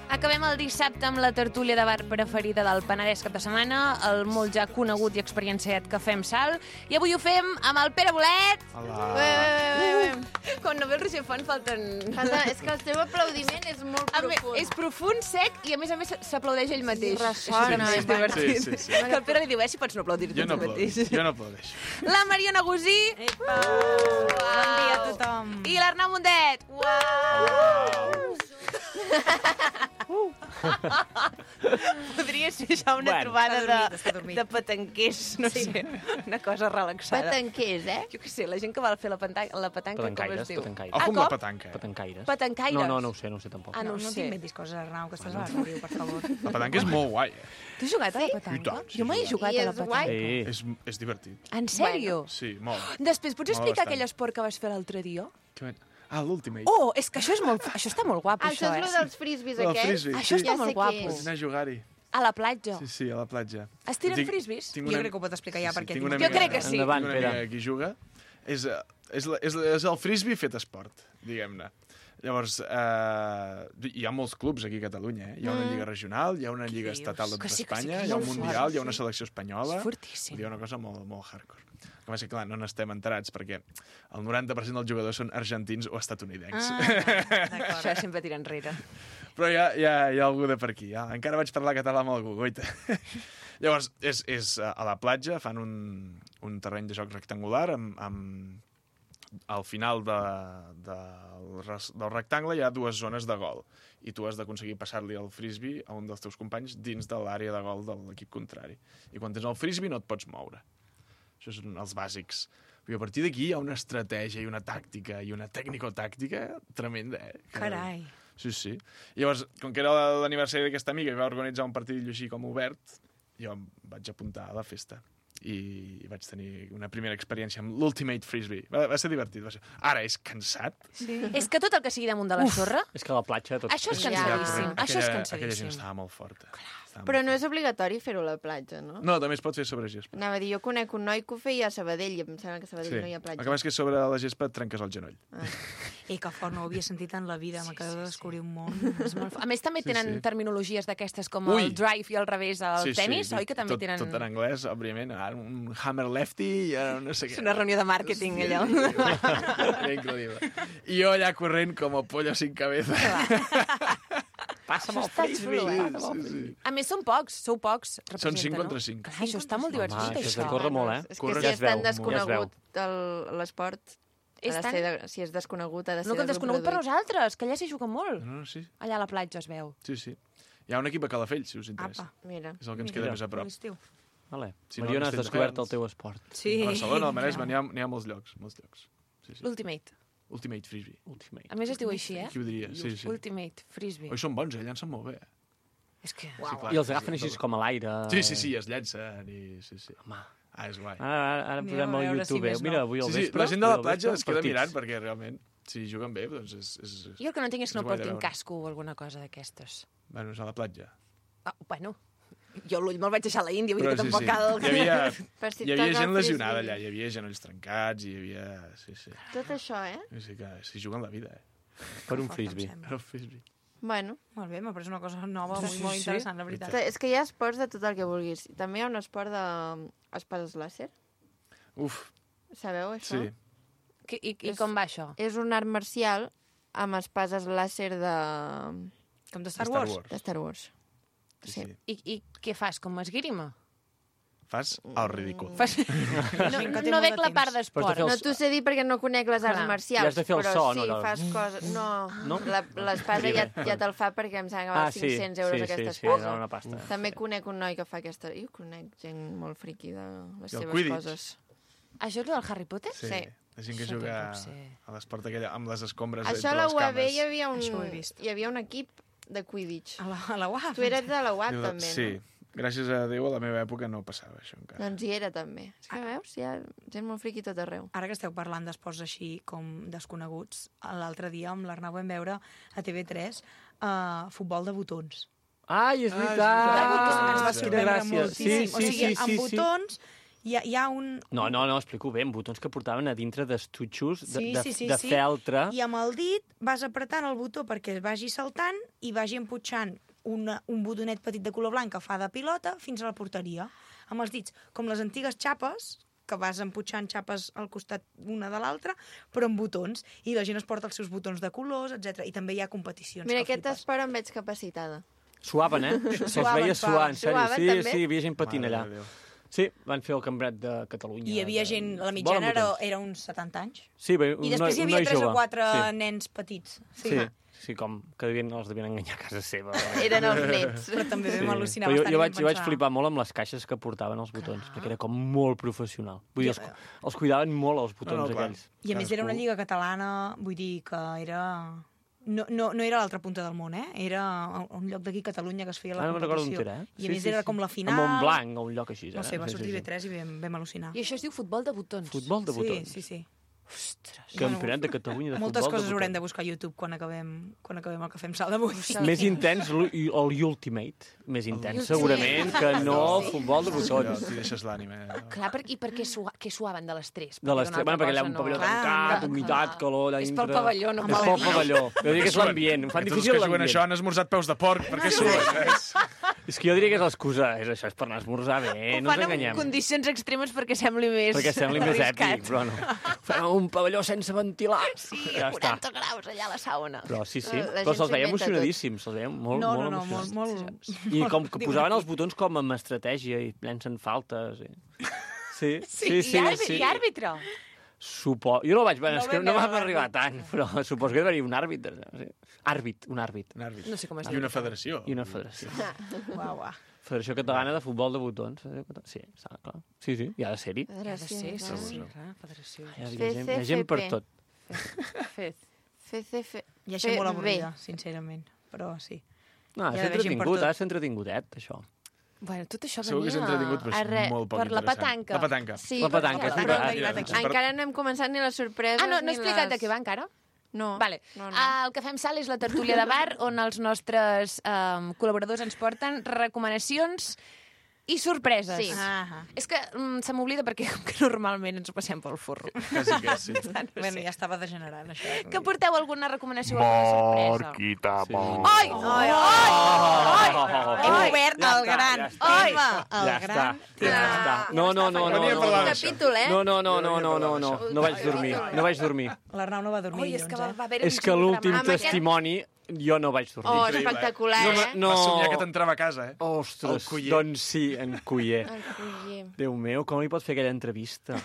Acabem el dissabte amb la tertúlia de bar preferida del Penedès cap de setmana, el molt ja conegut i experienciat Cafè amb Sal, i avui ho fem amb el Pere Bolet.
Hola.
Quan no ve el Roger Font falten...
És que el seu aplaudiment és molt profund.
És profund, sec, i a més s'aplaudeix ell mateix.
Ressona.
És divertit.
Sí.
Que el Pere li diu, si pots no aplaudir tu mateix.
Jo no aplaudeixo.
La Mariona Gusí.
Epa! Bon dia a tothom.
I l'Arnau Mundet. Uau! Podria ser ja una trobada de petanquers, no sé, una cosa relaxada.
Petanquers,
Jo què sé, la gent que va fer la petanca, com es diu?
Ojo amb la petanca.
Petancaires.
Petancaires.
No ho sé tampoc.
Ah, no
No
sé.
t'inventis coses, Arnau, que estàs a la ràdio, per favor.
La petanca és molt guai,
Tu has jugat a la petanca?
I tant, sí,
Jo mai he jugat a la
és guai?
petanca.
És divertit.
En sèrio?
Sí, molt.
Després, pots explicar
bastant.
aquell esport que vas fer l'altre dia?
Ah, l'Ultimate.
Oh, és que això està molt guapo,
Això és el dels frisbees
El
aquests?
frisbee,
Això
sí.
està molt guapo.
Vaig anar a jugar-hi.
A la platja.
Sí, a la platja.
Es tiren frisbees?
Jo crec que ho pot explicar ja, perquè...
tinc una
Jo crec que sí.
Tinc una amiga que hi juga. És el frisbee fet esport, diguem-ne. Llavors, hi ha molts clubs aquí a Catalunya, Hi ha una lliga regional, hi ha una lliga estatal d'Espanya, hi ha un mundial, hi ha una selecció espanyola.
És fortíssim.
Hi ha una cosa molt hardcore. Que va ser, clar, no n'estem enterats, perquè el 90% dels jugadors són argentins o estatunidencs.
Això sempre tira enrere.
Però hi ha algú de per aquí. Encara vaig parlar català amb algú, goita. Llavors, és a la platja, fan un terreny de joc rectangular amb al final del rectangle hi ha dues zones de gol i tu has d'aconseguir passar-li el frisbee a un dels teus companys dins de l'àrea de gol de l'equip contrari. I quan tens el frisbee no et pots moure. Això són els bàsics. Però a partir d'aquí hi ha una estratègia i una tàctica i una tècnico-tàctica tremenda,
Carai.
Sí. I llavors, com que era l'aniversari d'aquesta amiga i va organitzar un partit així com obert, jo em vaig apuntar a la festa i vaig tenir una primera experiència amb l'Ultimate Frisbee. Va ser divertit. Ara és cansat.
Sí. És que tot el que sigui damunt de la sorra...
És que a la platja...
Això és cansadíssim. Això és cansadíssim.
Aquella gent estava molt forta.
Però no és obligatori fer-ho a la platja, no?
No, també es pot fer sobre gespa.
Anava a dir, jo conec un noi que ho feia a Sabadell i em sembla que a Sabadell no hi ha platja.
El que passa és que sobre la gespa et trenques el genoll.
I que fort, no ho havia sentit en la vida, m'acabo de descobrir un món.
És molt A més, també tenen terminologies d'aquestes com el drive i al revés al tenis, oi? Que també tenen...
Tot en anglès, òbviament. Un hammer lefty i no sé què.
És una reunió de màrqueting, allò.
Era increïble. I jo allà corrent com el pollo sin cabeza.
Passa'm el frisbee.
A més, són pocs, sou pocs.
Són 5 contra 5.
Clar, això està molt divertit,
Home,
això.
això corre molt,
És que si és tan desconegut l'esport,
És tan...
si és desconegut, ha de ser
No, que desconegut per nosaltres, que allà s'hi juga molt.
No, sí.
Allà a la platja es veu.
Sí. Hi ha un equip a Calafell, si us interessa.
Mira.
És el que ens queda més a prop.
Vale.
Si no,
Mariona, has
estem
descobert
tocats.
el teu esport.
Sí.
A Barcelona, al Maresme, n'hi ha molts llocs. Sí.
L'Ultimate.
Ultimate Frisbee.
A més es diu així,
Qui ho diria? Sí.
Ultimate Frisbee.
Oi, són bons, llancen molt bé.
És que...
I els agafen així com a l'aire.
Sí, es llancen i... Sí.
Home.
És guai.
Ara posem al YouTube. Mira, avui al vespre...
La gent de la platja es queda mirant perquè realment, si juguen bé, doncs és...
Jo el que no entenc és que no portin casco o alguna cosa d'aquestes.
Bueno, és a la platja.
Bueno, jo l'ull me'l vaig deixar a la Índia, vull dir que tampoc cal...
Hi havia gent lesionada allà, hi havia genolls trencats, hi havia... Sí.
Tot això,
Sí, que s'hi juguen la vida,
Per un frisbee.
Per un frisbee.
Bueno.
Molt bé, m'ha pres una cosa nova, molt interessant, la veritat.
És que hi ha esports de tot el que vulguis. També hi ha un esport d'espases làser.
Uf.
Sabeu, això?
Sí.
I com va això?
És un art marcial amb espases làser de...
Com de Star Wars?
De Star Wars.
Sí.
I què fas, com esgrima?
Fas el ridícul.
No veig la part d'esport.
No t'ho sé dir perquè no conec les arts marcials.
I has de fer el
però
so,
sí,
no?
Fas coses... No? L'espasa ja te'l fa perquè em sembla que val 500 euros aquesta espasa.
Una pasta.
També conec un noi que fa aquesta... Jo conec gent molt friqui de les seves
Quidditch.
coses.
Això és el del Harry Potter?
Sí. La gent que juga a l'esport aquella amb les escombres
això
entre
a la
les
UAB
cames.
hi havia un equip de Quidditch.
A la UAB?
Tu eres de la UAB, també, no?
Sí. Gràcies a Déu, a la meva època no passava això encara.
Doncs hi era, també. És que veus, hi ha gent molt friqui tot arreu.
Ara que esteu parlant d'esports així com desconeguts, l'altre dia amb l'Arnau vam veure a TV3 futbol de botons.
Ai, és veritat!
Ens va sorprendre moltíssim.
Sí,
amb botons Hi ha un...
No, explico bé, amb botons que portaven a dintre d'estutxos de
sí.
feltre.
I amb el dit vas apretant el botó perquè es vagi saltant i vagi emputxant un botonet petit de color blanc que fa de pilota fins a la porteria. Amb els dits, com les antigues xapes, que vas emputxant xapes al costat una de l'altra, però amb botons. I la gent es porta els seus botons de colors, etc. I també hi ha competicions.
Mira, aquest esport em veig capacitada.
Suaven, Se'ls veia suar, en sèrio.
Suaven,
sí, hi havia gent patint allà. Sí, van fer el campionat de Catalunya.
I hi havia gent, la mitjana era uns 70 anys.
Sí, bé,
I després hi havia 3 o 4 nens petits.
Sí, com que els devien enganyar a casa seva.
Eren els nets.
Però també vam al·lucinar
bastant.
Jo
vaig flipar molt amb les caixes que portaven els botons, perquè era com molt professional. Vull dir, els cuidaven molt els botons aquells.
I a més era una lliga catalana, vull dir que era... No era a l'altra punta del món, Era un lloc d'aquí, Catalunya, que es feia la competició.
No recordo on era,
I a més era com la final...
A Montblanc o un lloc així.
No sé, va sortir B3 i vam al·lucinar.
I això es diu futbol de botons.
Futbol de botons.
Sí.
Ostres.
Campionat de Catalunya de futbol de botons.
Moltes coses haurem de buscar a YouTube quan acabem el que fem salt d'avui.
Més intens l'Ultimate. Més intens, segurament, que no el futbol de botons.
T'hi deixes l'ànima.
Clar, i per què suaven de les 3?
De les 3, perquè allà un pavelló tancat, humitat, calor...
És pel pavelló, no
és pel pavelló. Jo diria que és l'ambient. Em fan difícil
l'ambient. Tots que juguen això han esmorzat peus de porc, per què suen?
És que jo diria que és l'excusa. És per anar a esmorzar bé, no ens enganyem.
Ho fan en condicions extremes perquè sembli més...
Perquè sembli més èpic, però no. Fan un pavelló sense ventilar.
Sí, 40 graus allà a la sauna.
Però sí. Però se'ls veia emocionadíssims. Se'ls veia molt emocionats.
Molt...
I com que posaven els botons com amb estratègia i llencen faltes. Sí.
I àrbitre.
Jo no vaig... És que no vam arribar tant, però suposo que hi havia un àrbitre. Un àrbit.
No sé com es diu.
I una federació.
Uau.
Federació Catalana de Futbol de Botons. Sí, està clar. Sí, hi ha de ser-hi.
Ha de ser, sí. Federació.
Hi ha gent per tot.
Ja això molt avorrida, sincerament. Però sí.
No, és entretingut, ha de ser entretingudet, això.
Bueno, tot això
segur que és entretingut, però és molt poc
per la petanca.
La petanca.
Sí,
la petanca.
Encara no hem començat ni les sorpreses.
No he explicat de què va encara?
No.
Vale. El que fem salt és la tertúlia de bar, on els nostres col·laboradors ens porten recomanacions i sorpreses.
Sí.
És que se m'oblida perquè normalment ens ho passem pel forro.
Quasi que sí.
Bueno, ja estava degenerant, això.
Que porteu alguna recomanació o alguna sorpresa?
Marquita,
Ai!
Hem obert el gran tema.
Ja està. No.
Capítol,
No vaig dormir.
L'Arnau no va dormir,
és que va haver-hi
És que l'últim testimoni jo no vaig dormir.
Espectacular,
No.
Vas somiar que t'entrava a casa,
Ostres, doncs sí, en Culler. Déu meu, com li pot fer aquella entrevista?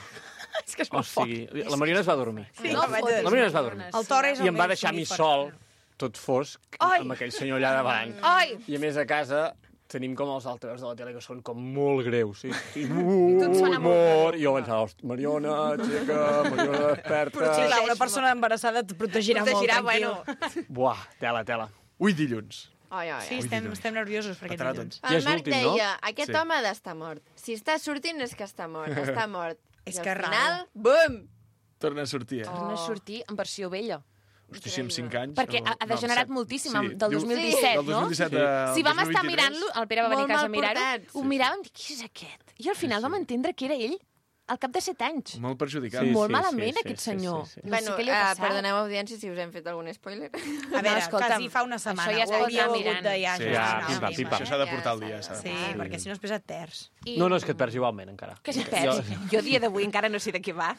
És que és molt foc.
La Mariona es va dormir.
La
Mariona es va dormir.
El Torres
I em va deixar a mi sol, tot fosc, amb aquell senyor allà davant. I a més a casa tenim com els altres de la tele que són com molt greus, sí? Mort. I jo pensava, Mariona, xeca, Mariona desperta...
Però sí, clar, una persona embarassada et protegirà molt, tranquil.
Buah, tela.
Ui, dilluns.
Sí, estem nerviosos per aquest dilluns.
El Marc deia, aquest home ha d'estar mort. Si està sortint és que està mort. Està mort.
És
I
que
al final, bum!
Torna a sortir,
Torna a sortir en versió vella.
Hosti, si amb 5 anys...
Perquè ha degenerat moltíssim, del 2017, no?
Del 2017
Si vam estar mirant-lo, el Pere va venir a casa a mirar-ho, ho miràvem i qui és aquest? I al final vam entendre que era ell al cap de 7 anys.
Molt perjudicat.
Molt malament, aquest senyor.
Bueno, perdoneu, audiència, si us hem fet algun spoiler.
A veure, quasi fa una setmana.
Això ja es pot anar mirant.
Això s'ha de portar al dia.
Sí, perquè si no es pesa terç.
No, és que et perds igualment, encara.
Que es perd? Jo a dia d'avui encara no sé de què va.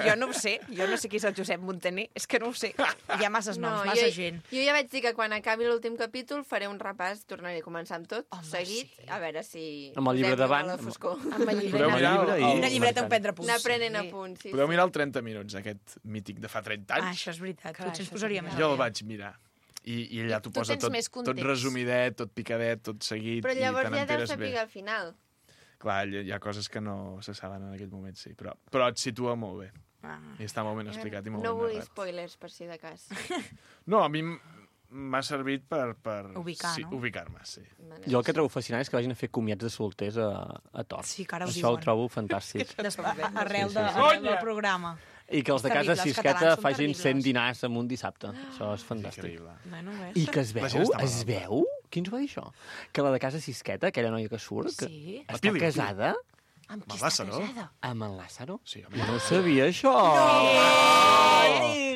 Jo no ho sé. Jo no sé qui és el Josep Montaner. És que no ho sé.
Hi ha masses noms, massa gent.
Jo ja vaig dir que quan acabi l'últim capítol faré un repàs, tornaré a començar amb tot, seguit, a veure si...
Amb el llibre davant.
Amb el llibre.
Una llibreta on prendre punts.
Anar prenent apunts, sí.
Podeu mirar el 30 minuts, aquest mític de fa 30 anys.
Això és veritat, potser ens posaria més.
Jo el vaig mirar. I allà t'ho posa tot resumidet, tot picadet, tot seguit.
Però llavors ja deus saber al final.
Clar, hi ha coses que no se saben en aquell moment, sí. Però et situa molt bé. I està molt ben explicat i molt ben narrat.
No vull spoilers, per si de cas.
No, a mi m'ha servit per
ubicar-me,
sí.
Jo el que trobo fascinant és que vagin a fer comiats de solters a Tor.
Sí, que ara ho
Això
diuen.
el trobo fantàstic.
Arrel del programa.
I que els de casa Sisqueta facin 100 dinars en un dissabte. Això és fantàstic. I que es veu? Qui ens va dir això? Que la de casa Sisqueta, aquella noia que surt, que està casada
Amb qui
Amb
està
Lázaro.
casada?
Amb en Lázaro?
Sí,
Jo no ho sabia, això.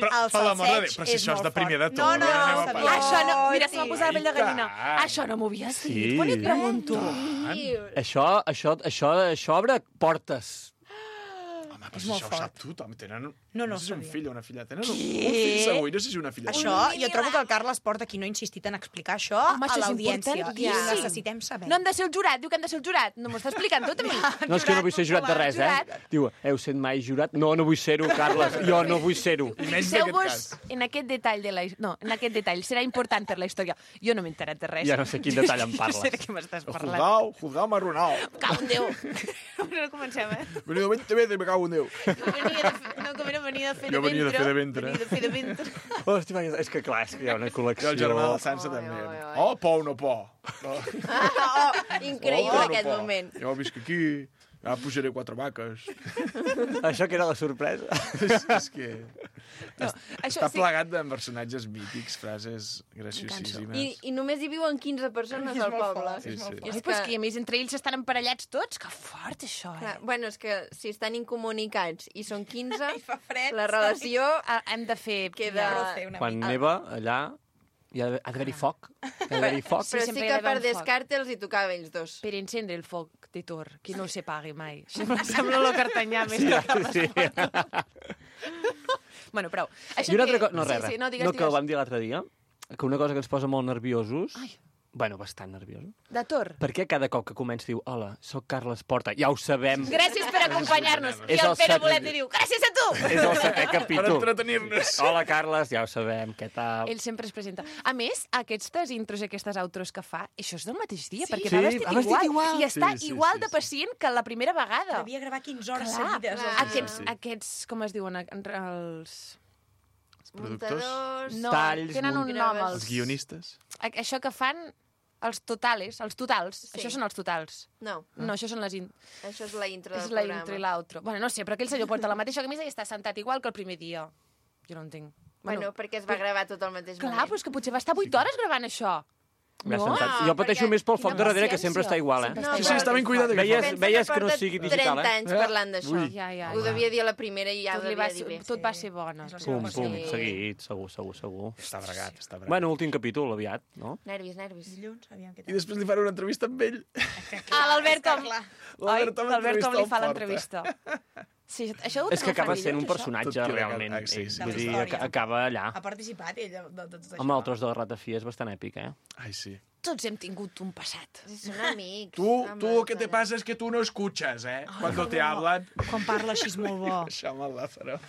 Però,
El
per l'amor de
salseig
Déu, però si
és
això és
molt
de primer de
fort.
tot.
No,
anem a
sabia.
parlar.
Això no... Mira, se m'ha posat la pell de
I
gallina.
tant.
Això no m'ho havies dit.
Sí.
Quan et pregunto?
Això obre portes.
Home, però
És
si
molt
això ho
fort.
sap tothom. Tenen...
No
No sé si és un
sabia.
fill o una filla. Tenen un fill segur, i no sé si una filla.
Això, jo trobo que el Carles Porta aquí no ha insistit en explicar això
Home,
a
això és
l'audiència. I
importantíssim.
ho necessitem saber.
No hem de ser el jurat, diu que hem de ser el jurat. No m'ho està explicant tot a mi.
No, és que no vull ser jurat de res, Diu, heu sent mai jurat? No, no vull ser-ho, Carles. Jo no vull ser-ho.
Fixeu-vos en aquest detall de la... No, en aquest detall. Serà important per la història. Jo no m'he enterat de res.
Ja no sé quin detall em parles.
No sé de què m'estàs parlant.
Juzgao marronao.
Cau en Déu. No comencem,
Venido 20 veces, me cago en Déu.
No, com era venir de fer
Jo
de
venia de fer de
ventre.
ventre.
Venir de fer de ventre.
Hòstia, és que clar, és que hi ha una col·lecció...
Jo el germà del Sansa també. Oh, por o no por.
Increïble aquest moment.
Jo visc aquí, ja pujaré 4 vaques.
Això que era la sorpresa.
És que...
això
Està
sí.
plegat de personatges mítics, frases graciosíssimes.
I només hi viuen 15 persones al poble.
Sí, sí.
Ai, però és que a més entre ells estan emparellats tots. Que fort, això,
Clar, bueno, és que si estan incomunicats i són 15,
fred,
la relació
hem de fer...
queda...
Quan neva, allà, hi ha d'haver-hi foc. Hi ha d'haver-hi foc.
Però sí que per descarte els hi tocava ells dos.
Per encendre el foc de Thor, que no se pagui mai. Sembla lo cartanyà més
Sí,
que
sí.
Bueno, prou.
I una altra cosa... No,
sí,
res,
sí, no, digues,
no, que ho
digues.
vam dir l'altre dia, que una cosa que ens posa molt nerviosos... Bueno, bastant nerviosos.
De Thor.
Per què cada cop que comença diu hola, sóc Carles Porta? Ja ho sabem.
Gràcies per acompanyar-nos. I
És
el
el
Pere
setè-
Bolet li diu, gràcies a tu!
És el setè capítol.
Per entretenir-nos.
Hola, Carles, ja ho sabem, què tal?
Ell sempre es presenta. A més, aquestes intros i aquestes outros que fa, això és del mateix dia, perquè
Sí,
va vestit,
va vestit
igual.
igual.
I està
Sí, sí,
igual
sí,
de pacient que la primera vegada.
Devia gravar 15 hores
Clar,
seguides.
aquests, com es diuen, els...
Muntadors...
No,
Talls,
tenen un nom.
Els guionistes.
Això que fan els totals.
Sí.
Això són els totals.
No.
No, això són les...
Això és la intro
És
del
la
programa.
intro i l'outro. Bueno, no sé, però aquell senyor porta la mateixa camisa i està sentat igual que el primer dia. Jo no entenc.
Bueno, perquè es va gravar tot al mateix
Clar,
moment.
però és que potser va estar 8 hores gravant això.
Ja
No?
sentat. Jo pateixo més pel foc de darrere, que sempre està igual, eh?
No,
Sí, sí, està ben cuidat.
Veies que no sigui digital,
30 anys parlant d'això.
Ui.
Ja.
Ho devia dir a la primera i ja ho
Tot,
devia dir bé.
tot va ser bona.
Pum, seguit, segur.
Està bregat, està bregat.
Bueno, últim capítol, aviat, no?
Nervis.
Dilluns, aviam què
I després li faré una entrevista amb ell.
Ah, l'Albert Tom.
L'Albert Tom
L'Albert Tom li fa
entrevista al
l'entrevista. Sí, això ho
És que
ho fan
acaba sent un
dilluns,
personatge,
Tot queda
realment.
cal- sí, sí.
Vull dir,
Història.
acaba allà.
Ha participat ell de tot això.
Home, el tros de la ratafia és bastant èpic, eh?
Ai, sí.
Tots hem tingut un passat.
Són amics.
Tú lo que te pasa es que tú no escuchas, ¿eh? Cuando te hablan.
Quan parla així és molt bo.
Això amb el Lázaro.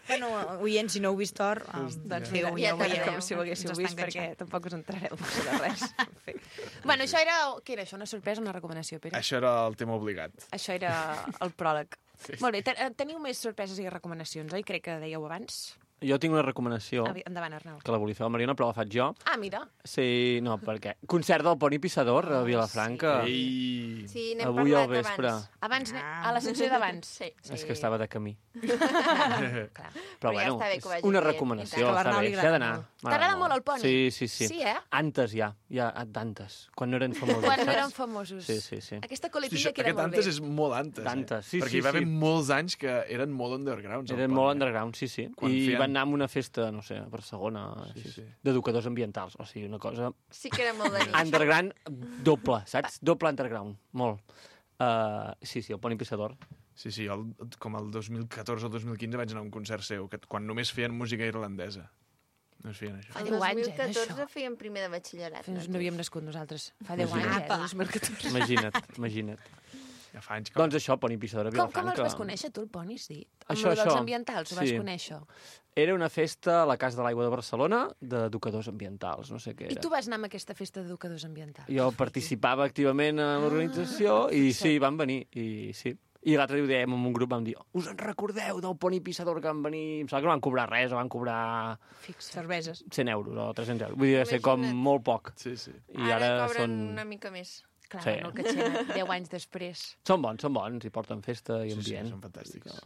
Bueno, oient, si no heu vist Thor, doncs
Sí,
feu,
ja
ho
t'agrada,
veieu.
com si ho haguéssiu
Ens
vist,
està
perquè
enganxant.
tampoc us entrareu de res. En fi. Bueno, això era... Què era això? Una sorpresa o una recomanació, Pere?
Això era el tema obligat.
Això era el pròleg. Molt bé, teniu més sorpreses i recomanacions, oi? Crec que dèieu abans.
Jo tinc una recomanació,
Endavant, Arnau.
que la volia fer la Mariona, però la faig jo.
Ah, mira.
Sí, no, perquè... Concert del Poni Pissador a Vilafranca.
Ei.
Sí, n'hem
Avui al
parlat
vespre.
abans.
A la secció d'abans.
Sí.
És que estava de camí.
Clar.
Però
ja
bueno,
està bé que ho vagi
una
dient.
recomanació,
I tant. Que a
està
l'Arnau
bé,
li
s'ha
agrada
d'anar.
molt. T'agrada molt el Poni?
Sí.
Sí, eh?
Antes ja d'antes, quan no eren famosos.
Quan no
saps?
eren famosos.
Sí.
Aquesta
Hosti,
coletilla que era
aquest
molt bé.
antes és molt antes.
D'antes, sí,
Perquè
sí,
hi va haver
sí.
molts anys que eren molt undergrounds. al
Eren
Pont,
molt
eh?
underground, sí.
Quan
I
feien-
van anar a una festa, no sé, a Barcelona, d'educadors ambientals. O sigui, una cosa...
Sí que era molt de nit.
Underground doble, saps? Doble underground, molt. Sí, el Poni Pissador.
Sí, com el 2014 o 2015 vaig anar a un concert seu, que quan només feien música irlandesa. No es feien això.
Fa
El
10 anys,
2014 fèiem primer de batxillerat.
No havíem nascut nosaltres. Fa 10 anys,
Imagina't.
2014.
Imagina't.
Ja fa anys que...
Doncs això, Poni Pissador a
Com
Vilafranca.
els vas conèixer, tu, el Poni, sí? Amb
Això,
lo dels
això.
ambientals ho vas
Sí.
conèixer?
Era una festa a la Casa de l'Aigua de Barcelona d'educadors ambientals, no sé què
I
era.
tu vas anar a aquesta festa d'educadors ambientals?
Jo participava activament en l'organització i sí, van venir, i sí. I l'altre dia ho dèiem en un grup, vam dir, us en recordeu del Poni Pissador que van venir? Em sembla que no van cobrar res, o van cobrar
Cerveses.
100 euros o 300 euros. Vull dir, va ser com molt poc.
Sí.
I ara
cobren
són...
una mica més.
Clar,
Sí.
no el catxena, 10 anys després.
Són bons, i porten festa i ambient.
són fantàstics.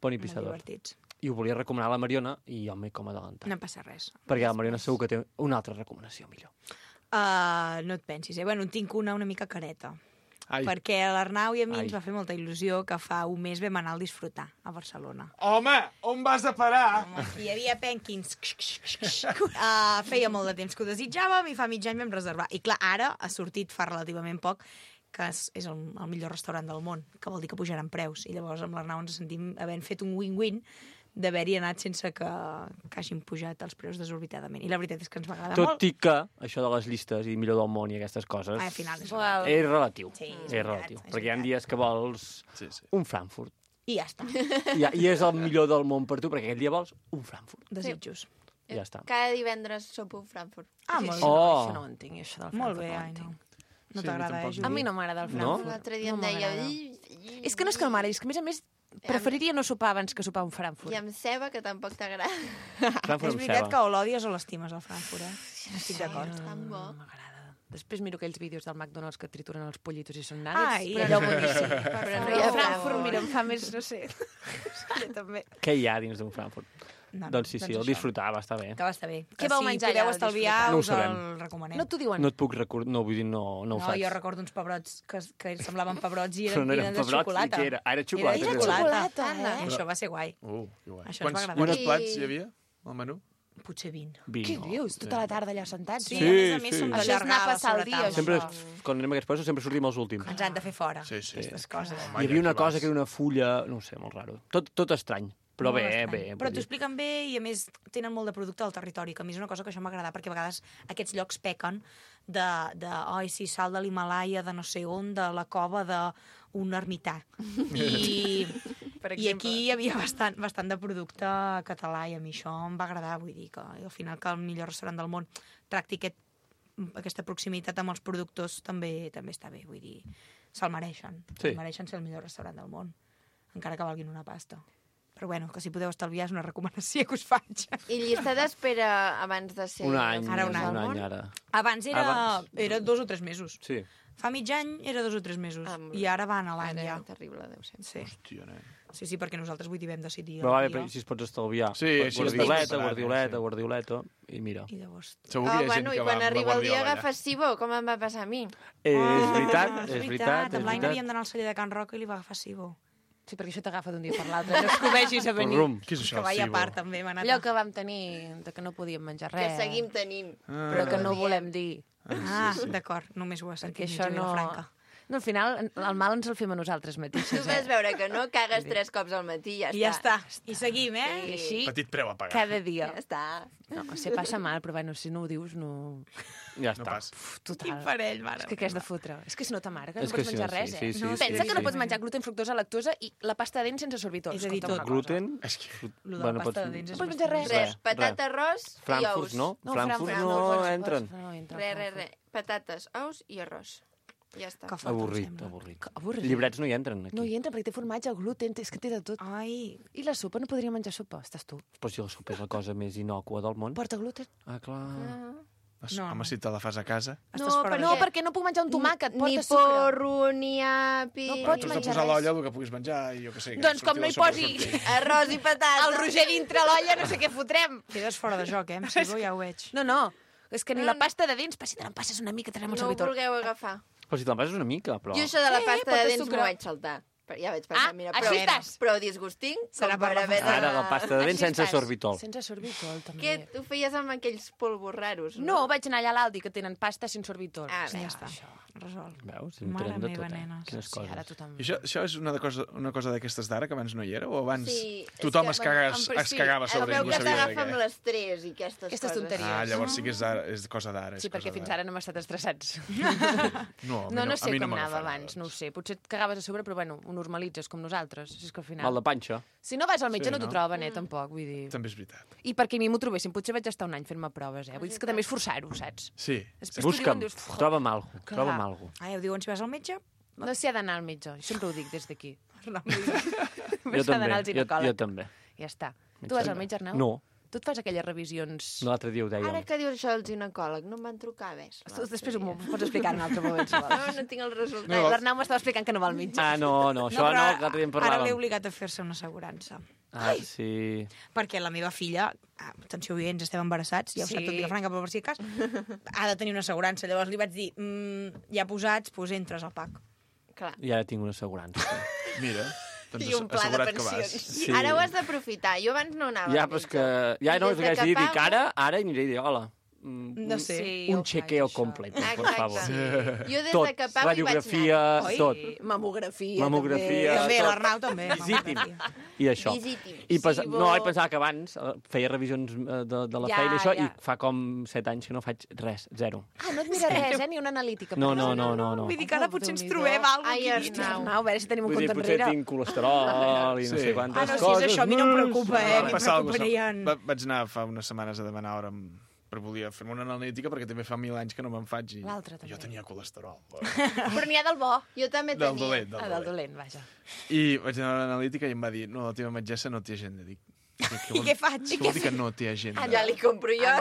Poni Pissador.
divertits.
I ho volia recomanar a la Mariona i jo m'he com adelantat.
No passa res.
Perquè la Mariona segur que té una altra recomanació millor.
No et pensis, eh? Bueno, en tinc una mica careta. perquè l'Arnau i a mi ens va fer molta il·lusió que fa un mes vam anar al Disfrutar, a Barcelona.
Home, on vas a parar?
Hi havia pènquins. Feia molt de temps que ho desitjàvem i fa mig any vam reservar. I clar, ara ha sortit fa relativament poc que és el millor restaurant del món, que vol dir que pujaran preus. I llavors amb l'Arnau ens sentim havent fet un win-win d'haver-hi anat sense que hagin pujat els preus desorbitadament. I la veritat és que ens va agradar molt.
Tot i que això de les llistes i millor del món i aquestes coses
Al final és
relatiu.
Sí,
és relatiu. Perquè hi ha dies que vols un Frankfurt.
I ja està.
I és el millor del món per tu, perquè aquell dia vols un Frankfurt.
Desitjos.
Ja està.
Cada divendres sopo un Frankfurt.
Molt
bé.
Això no ho entenc, això del Frankfurt.
Molt bé, ai, no. No t'agrada, Judit?
A mi no m'agrada el Frankfurt.
L'altre dia em deia...
És que no és que no m'agradi, és que a més preferiria no sopar abans que sopar un Frankfurt.
I amb ceba, que tampoc t'agrada.
És veritat que o l'odies o l'estimes, el Frankfurt, Estic d'acord.
Tan bo.
Després miro aquells vídeos del McDonald's que trituren els pollitos i són nuggets.
Ai,
però allò boníssim.
Però
no hi ha Frankfurt, mira, em fa més, no sé. També.
Què hi ha dins d'un Frankfurt? Doncs sí, el disfrutar va estar bé.
Que va estar bé.
Què vau menjar allà?
Si podeu estalviar,
No ho
us
sabem.
el recomanem.
No t'ho diuen?
No et puc recordar, no, vull dir, no ho faig.
Jo recordo uns pebrots que semblaven pebrots i
Però
eren,
no eren
eren de
pebrots,
xocolata.
i què era? Ah, era xocolata.
Era
Era
xocolata.
xocolata,
I això va ser guai.
Que guai.
Això ens va agradar.
Quants plats hi havia al menú?
Potser 20.
20.
Què dius? Tota la tarda allà sentats?
Sí,
Sí,
a més
sí.
som
Això és anar a
d'allargar
passar el dia,
Sempre,
això.
quan anem a aquests països, sempre sortim els últims.
Ens han de fer fora.
Sí, sí.
Aquestes coses.
Hi havia una cosa que era una fulla, no ho sé, molt raro. Tot estrany, però
Molt
bé,
estrany.
bé.
Però
vull
t'ho
dir.
expliquen bé i, a més, tenen molt de producte al territori, que a mi és una cosa que això m'agrada, perquè a vegades aquests llocs pequen oi, sí, sal de l'Himalaya, de no sé on, de la cova d'un ermità. I aquí hi havia bastant de producte català i a mi això em va agradar, vull dir que al final que el millor restaurant del món tracti aquesta proximitat amb els productors també està bé, vull dir, se'l mereixen.
Sí.
Se'l mereixen ser el millor restaurant del món, encara que valguin una pasta. Però bueno, que si podeu estalviar és una recomanació que us faig.
I llista d'espera abans de ser...
Un any,
Ara un any.
ara.
Abans era 2 o 3 mesos.
Sí.
Fa mig any era 2 o 3 mesos. I ara van a l'any ja.
Terrible, deu ser.
Sí.
Hòstia, nen.
Sí, perquè nosaltres vull dir vam decidir.
Però va bé, si es pots estalviar.
Sí,
Guardioleta, i mira.
I llavors...
Segur que hi ha gent
i
que va
quan
amb la
arriba el dia
guardiola allà.
agafes Sibó, com em va passar a mi.
És veritat.
Amb l'any havíem d'anar al celler de Can Roca i li va agafar Sibó.
Sí, perquè això t'agafa d'un dia per l'altre. No es que ho vegis a venir.
Què és això,
Que vaia a
Sibó?
part, també.
Allò que vam tenir, de que no podíem menjar res.
Que seguim tenint.
Però que no volem dir.
D'acord, només ho ha sentit
Perquè això
mitja
no...
Vilafranca.
No, al final, el mal ens el fem a nosaltres
Tu
mateixes,
vas veure que no, cagues 3 cops al matí, ja està.
I ja està. I seguim,
I així,
Petit preu a pagar.
cada dia.
Ja està.
No, se passa mal, però bueno, si no ho dius, no...
Ja
No
està.
pas.
Total.
Quin parell, mare.
És que què has de fotre? És que si no t'amarga, no
És que
pots
sí,
menjar
sí,
res,
sí,
eh?
sí,
No,
sí,
pensa
sí,
que no
sí.
pots menjar gluten, fructosa, lactosa i la pasta de dents sense sorbitol.
És a dir,
Escolta'm
tot.
una cosa.
Gluten...
És que...
Lo de la pasta de dents
No
és
pots menjar res.
Res, patata, arròs i
Frankfurt,
ous.
no? Frankfurt no entren.
Res. Patates, ous i arròs. Ja està.
Que fort, em
Avorrit,
sembla.
avorrit.
Avorrit.
Llibrets no hi entren, aquí.
No hi entra perquè té formatge, gluten, és que té de tot.
Ai,
I la sopa? No podria menjar sopa? Estàs tu.
Però si la sopa és la cosa més innòcua del món.
Porta gluten?
Ah, clar.
No,
Home, si te la fas a casa...
estàs fora de
No,
joc.
perquè no puc menjar un tomàquet,
Ni
porta sucre.
porro, ni api...
No
Tu
pots
has de
menjar
posar a
res.
l'olla el que puguis menjar i jo què sé. que
Doncs com
surti
no
la
hi
sopa,
posi
surti.
Arròs i patata.
el Roger dintre l'olla, no sé què fotrem.
Quedes fora de joc, Amb Sibó ja ho veig.
No, és que ni la pasta de dents, si te n'empasses una mica, tenem el
No ho
sorbitol.
vulgueu agafar.
Però si te'n passes una mica, però...
Jo això de la
Sí,
pasta
porta
de dents
sucre.
m'ho vaig saltar. Però ja vaig pensar, mira,
així estàs.
però disgusting,
Serà
com
per
per
la
haver de...
Ara la pasta de dents
Així
sense
estàs.
sorbitol.
Sense sorbitol, també.
Què ho feies amb aquells polvos raros?
No, vaig anar allà a l'Aldi, que tenen pasta sense sorbitol.
Ah,
Sí,
bé,
ja està.
Resolt.
Veus?
Mare
Entrem de
meva,
tot,
nenes.
Quines
Sí, ara
coses.
tothom...
I això és una cosa d'aquestes d'ara que abans no hi era? O abans
Sí,
tothom
és
es,
que,
cagues,
bueno,
es cagava sobre
el
ell i
meu
no
que
sabia de
t'agafa amb
què?
l'estrès i aquestes
Aquestes
coses.
tonteries.
Ah, llavors sí que és cosa d'ara.
Sí, perquè fins ara no hem estat estressats.
No, a mi
No
a
sé
mi
com
no
anava
m'agafa
abans, no ho sé. Potser et cagaves a sobre, però bueno, ho normalitzes com nosaltres. Si és que al final...
Mal de panxa.
Si no vas al metge
Sí,
no t'ho
no?
troben, tampoc, vull dir...
També és veritat.
I perquè a mi m'ho trobessin, potser vaig estar un any fent-me proves, Vull dir és que també és forçar-ho, saps?
Sí.
Després t'ho
Busca'm,
diuen, dius,
troba'm algo,
Clar.
troba'm algo.
Ah, ja ho diuen si vas al metge?
No s'hi ha d'anar al metge, jo sempre ho dic des d'aquí.
Jo
Només s'ha
també,
d'anar al ginecòleg.
jo també.
Ja està. Tu vas al metge, Arnau?
No.
Tu et fas aquelles revisions...
L'altre dia ho dèiem.
Ara que dius això del ginecòleg, no em van trucar, ves.
Després m'ho pots explicar en un altre moment, si vols.
No tinc el resultat.
No.
L'Arnau m'estava explicant que no va al metge.
Ah, no, això no,
però
que l'altre dia en
Ara l'he
parlàvem.
obligat a fer-se una assegurança.
Ah, sí.
Perquè la meva filla, atenció, oients, estem embarassats, ja ho
Sí.
sap tot Vilafranca, però per si de cas, ha de tenir una assegurança. Llavors li vaig dir, ja posats, doncs entres al PAC.
Clar.
I ara tinc una assegurança.
Mira, doncs
I un pla de
assegurat que vas.
pensions.
Sí.
Ara ho has d'aprofitar. Jo abans no anava.
Ja, però és que... Ja, no, és que haig de dir que ara aniré i dir, hola,
No sé.
un chequeo completo, por favor.
Jo des
Tot,
de que pago
radiografia,
hi vaig anar.
tot.
Mamografia,
Mamografia,
També,
tot.
l'Arnau també.
Visiting. I això.
Visiting.
I
Sibo.
no, vaig pensar que abans feia revisions de la
Ja,
feina i això,
ja.
i fa com 7 anys que no faig res, zero.
Ah, no et mira res, ni una analítica.
No, no, no, no.
Vull dir que ara potser ens trobem alguna
Ai,
cosa aquí.
Arnau.
A veure si tenim un
Vull dir,
compte
potser
enrere.
tinc colesterol i no sé quantes
Ah, no, si
coses.
és això, a mi no em preocupa,
Va
a mi em
passar alguna cosa.
preocuparien...
Vaig anar fa unes setmanes a demanar hora per volia fer-me una analítica perquè també fa 1000 anys que no me'n faig i
L'altre també.
jo tenia colesterol.
Però n'hi ha del bo.
Jo també
Del
tenia.
dolent,
Ah, del dolent, vaja.
I vaig anar a l'analítica i em va dir, no, la teva metgessa no té agenda. Dic,
I què faig?
Què vol dir que no té agenda?
Ja li compro jo.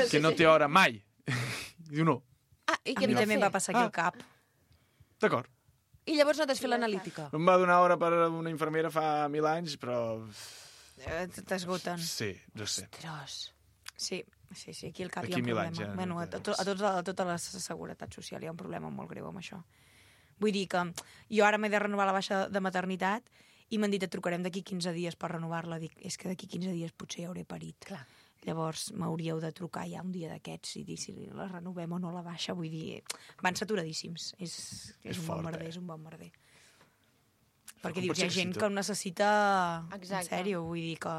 Que no té hora mai. Diu, no.
Ah, i
A
què
mi
et va
també em
fer?
va passar aquí al cap.
D'acord.
I llavors no t'has fet l'analítica?
Em va donar hora per una infermera fa 1000 anys, però...
T'esgoten.
Sí, no sé.
Ostres.
Sí, aquí al cap
Aquí
hi ha un
1000
problema.
anys, ja,
Bueno, a tota la seguretat social hi ha un problema molt greu amb això. Vull dir que jo ara m'he de renovar la baixa de maternitat i m'han dit et trucarem d'aquí 15 dies per renovar-la. Dic, és que d'aquí 15 dies potser ja hauré parit.
Clar.
Llavors m'hauríeu de trucar ja un dia d'aquests i dir si la renovem o no la baixa. Vull dir, van saturadíssims. És un
fort,
bon merder, és un bon merder. Perquè
com
dius,
pot
hi ha
ser que
gent
si
que
tot-
ho necessita
Exacte.
en sèrio. Vull dir que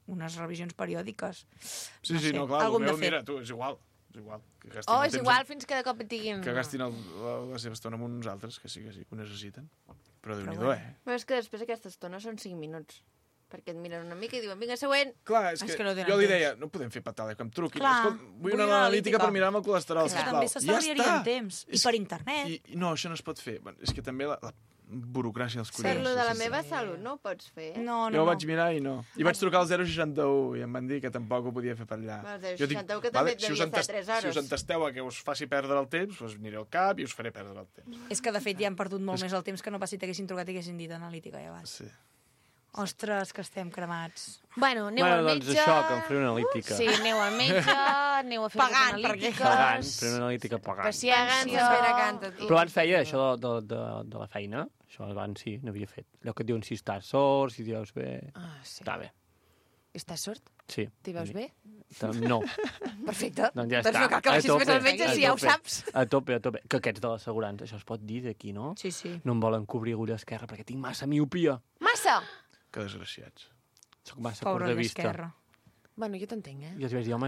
unes revisions periòdiques...
Sí, sí, no, clar, el
alguna
meu,
hem de fer.
mira, tu, és igual. És igual. Que gastin
Oh,
el
és
temps
igual fins que de cop et diguin...
Que gastin la seva estona amb uns altres, que sí, que ho necessiten. Però Déu-n'hi-do,
bueno.
Però és que després aquesta estona són 5 minuts. Perquè et miren una mica i diuen, vinga, següent.
Clar, és que
no tenen
jo li
temps.
deia, no podem fer patada, que em truquin.
Clar,
Escolta, vull
vull
una
una
analítica
analítica.
per mirar-me el colesterol,
És que
sisplau.
també
Ja
s'estalviarien
està.
temps. I per internet.
I no, això no es pot fer. Bueno, és que també la burocràcia dels
Per
collons.
lo de la meva salut no ho pots fer.
No,
Jo ho vaig mirar i no. I vaig trucar al 061 i em van dir que tampoc ho podia fer per allà.
Al 061
Jo dic,
que també et
si us
devia estar
entest-
3 hores.
Si us entesteu a que us faci perdre el temps, doncs aniré al cap i us faré perdre el temps.
És que, de fet, ja han perdut molt més el temps que no pas si t'haguessin trucat i haguessin dit analítica ja abans.
Sí.
Ostres, que estem cremats.
Bueno, aneu al
Doncs
metge...
això, que em faré una analítica.
Sí, aneu al metge, aneu a fer
Pagant,
les
perquè-
analítiques...
Pagant, fer una analítica pagant.
Paciència...
Però abans feia això de la feina. Això abans sí, n'havia fet. Allò que et diuen si estàs sort, si t'hi veus bé...
Ah, sí.
Està bé.
Estàs sort?
Sí.
T'hi veus bé?
No.
Perfecte.
Doncs ja
Doncs
està.
no cal que vagis més al metge,
a
si ja ho
tope.
saps.
A tope, a tope. Que aquests de l'assegurança, això es pot dir d'aquí, no?
Sí, sí.
No em volen cobrir agulla esquerra perquè tinc massa miopia.
Massa!
Que desgraciats.
Soc massa
Pobre
curt de vista.
l'esquerra.
Bueno, jo t'entenc,
I els vaig dir, home,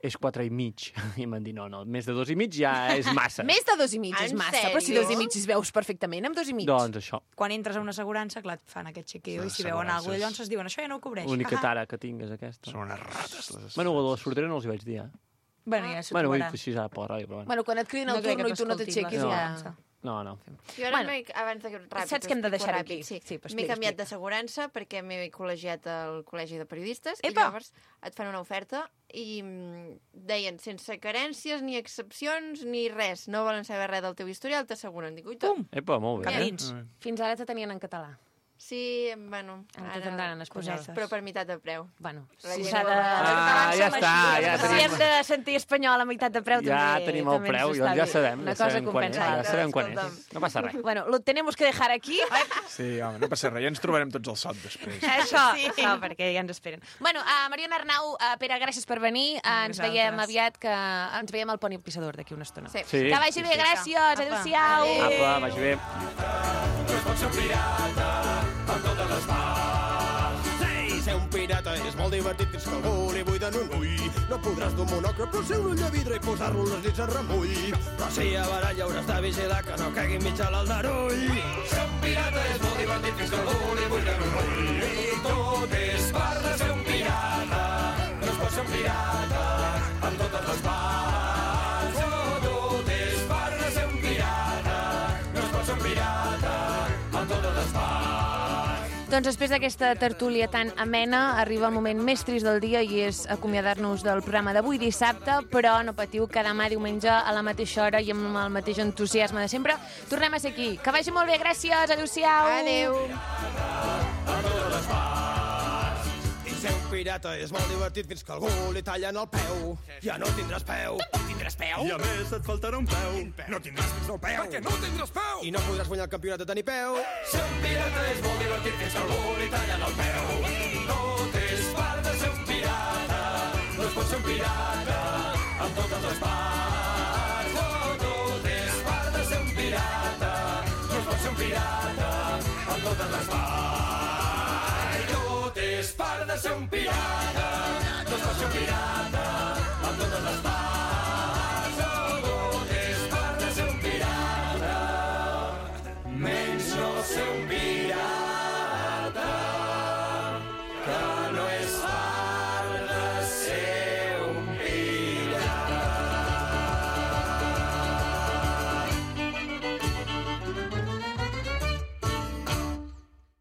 és 4 i mig. I em van dir, no, més de 2 i mig ja és massa.
Més de 2 i mig és
En
massa, però si
sèrio?
2 i mig es veus perfectament amb 2 i mig.
Doncs això.
Quan entres a una assegurança, clar, et fan aquest chequeo i si veuen alguna cosa, llavors es diuen, això ja no ho cobreix.
L'única
Ah.
tara que tinc és aquesta.
Són unes rates, les
Bueno, de la sortera no els hi vaig dir,
Bueno, ja s'ho
Bueno, ho he
trobaran.
dit així ara per la ràdio, però bueno.
Bueno, quan et cridin al
No crec
turno
que
i tu no
t'escoltin
t'aixequis,
No.
ja...
No, no.
Jo ara,
Bueno,
abans de ràpid,
saps que hem de
explico
deixar-ho
ràpid,
aquí.
Sí,
Sí, però
m'he
explica,
canviat
explica.
d'assegurança perquè m'he col·legiat al Col·legi de Periodistes i
Epa!
llavors et fan una oferta i deien sense carències ni excepcions ni res, no volen saber res del teu historial, t'asseguren. Dic, ui,
Pum!
Epa, molt bé.
Cap dins.
Fins ara te tenien en català.
Sí, bueno,
Ara te tindran en espanyol.
cosetes.
però per meitat de preu.
Bueno,
La
si
llengua
s'ha de...
Ah, ja està, ja
Si
tenim.
hem de sentir espanyol a meitat de preu,
Ja
també
tenim el
també ens
preu,
està
ja
bé.
sabem.
Una
Ja
cosa
sabem quan és.
compensa
Ja
l'altra.
sabem quan
escolta'm.
és. No passa res.
Bueno, lo tenemos que dejar aquí.
Sí, home, no passa res. Ja ens trobarem tots al sot després.
Això, perquè ja ens esperen. Bueno, Mariona Arnau, Pere, gràcies per venir. Ens
vosaltres.
veiem aviat, que ens veiem al Poni Pissador d'aquí una estona.
Sí.
Sí.
Que vagi bé, gràcies.
Apa.
Adéu-siau.
Apa, vagi bé.
Ei, ser un pirata és molt divertit fins que algú li buiden un ull. No podràs dur monocle, però ser un ull de vidre i posar-lo les dits a remull. Però si a baralla hauràs de vigilar que no caigui mig a l'aldarull. Ser un pirata és molt divertit fins que algú li buiden un ull. I tot és part de ser un pirata. No es pot ser un pirata amb totes les parts. No, tot és part de ser un pirata. No es pot ser un pirata amb totes les parts.
Doncs després d'aquesta tertúlia tan amena, arriba el moment més trist del dia i és acomiadar-nos del programa d'avui dissabte, però no patiu que demà diumenge a la mateixa hora i amb el mateix entusiasme de sempre tornem a ser aquí. Que vagi molt bé, gràcies, adéu-siau.
Adéu.
A totes les parts. I ser un pirata és molt divertit fins que algú li tallen el peu. Ja no tindràs peu.
Tindràs peu?
I a més et faltarà un peu.
No tindràs fins al peu.
Perquè no tindràs peu. I no podràs guanyar el campionat de tenir peu.
Ser un pirata és molt divertit fins que algú li tallen el peu. Tot és part de ser un pirata. No es pot ser un pirata amb totes les parts. Tot és part de ser un pirata. No es pot ser un pirata amb totes les parts. Tot és part de ser un pirata. No es pot ser un pirata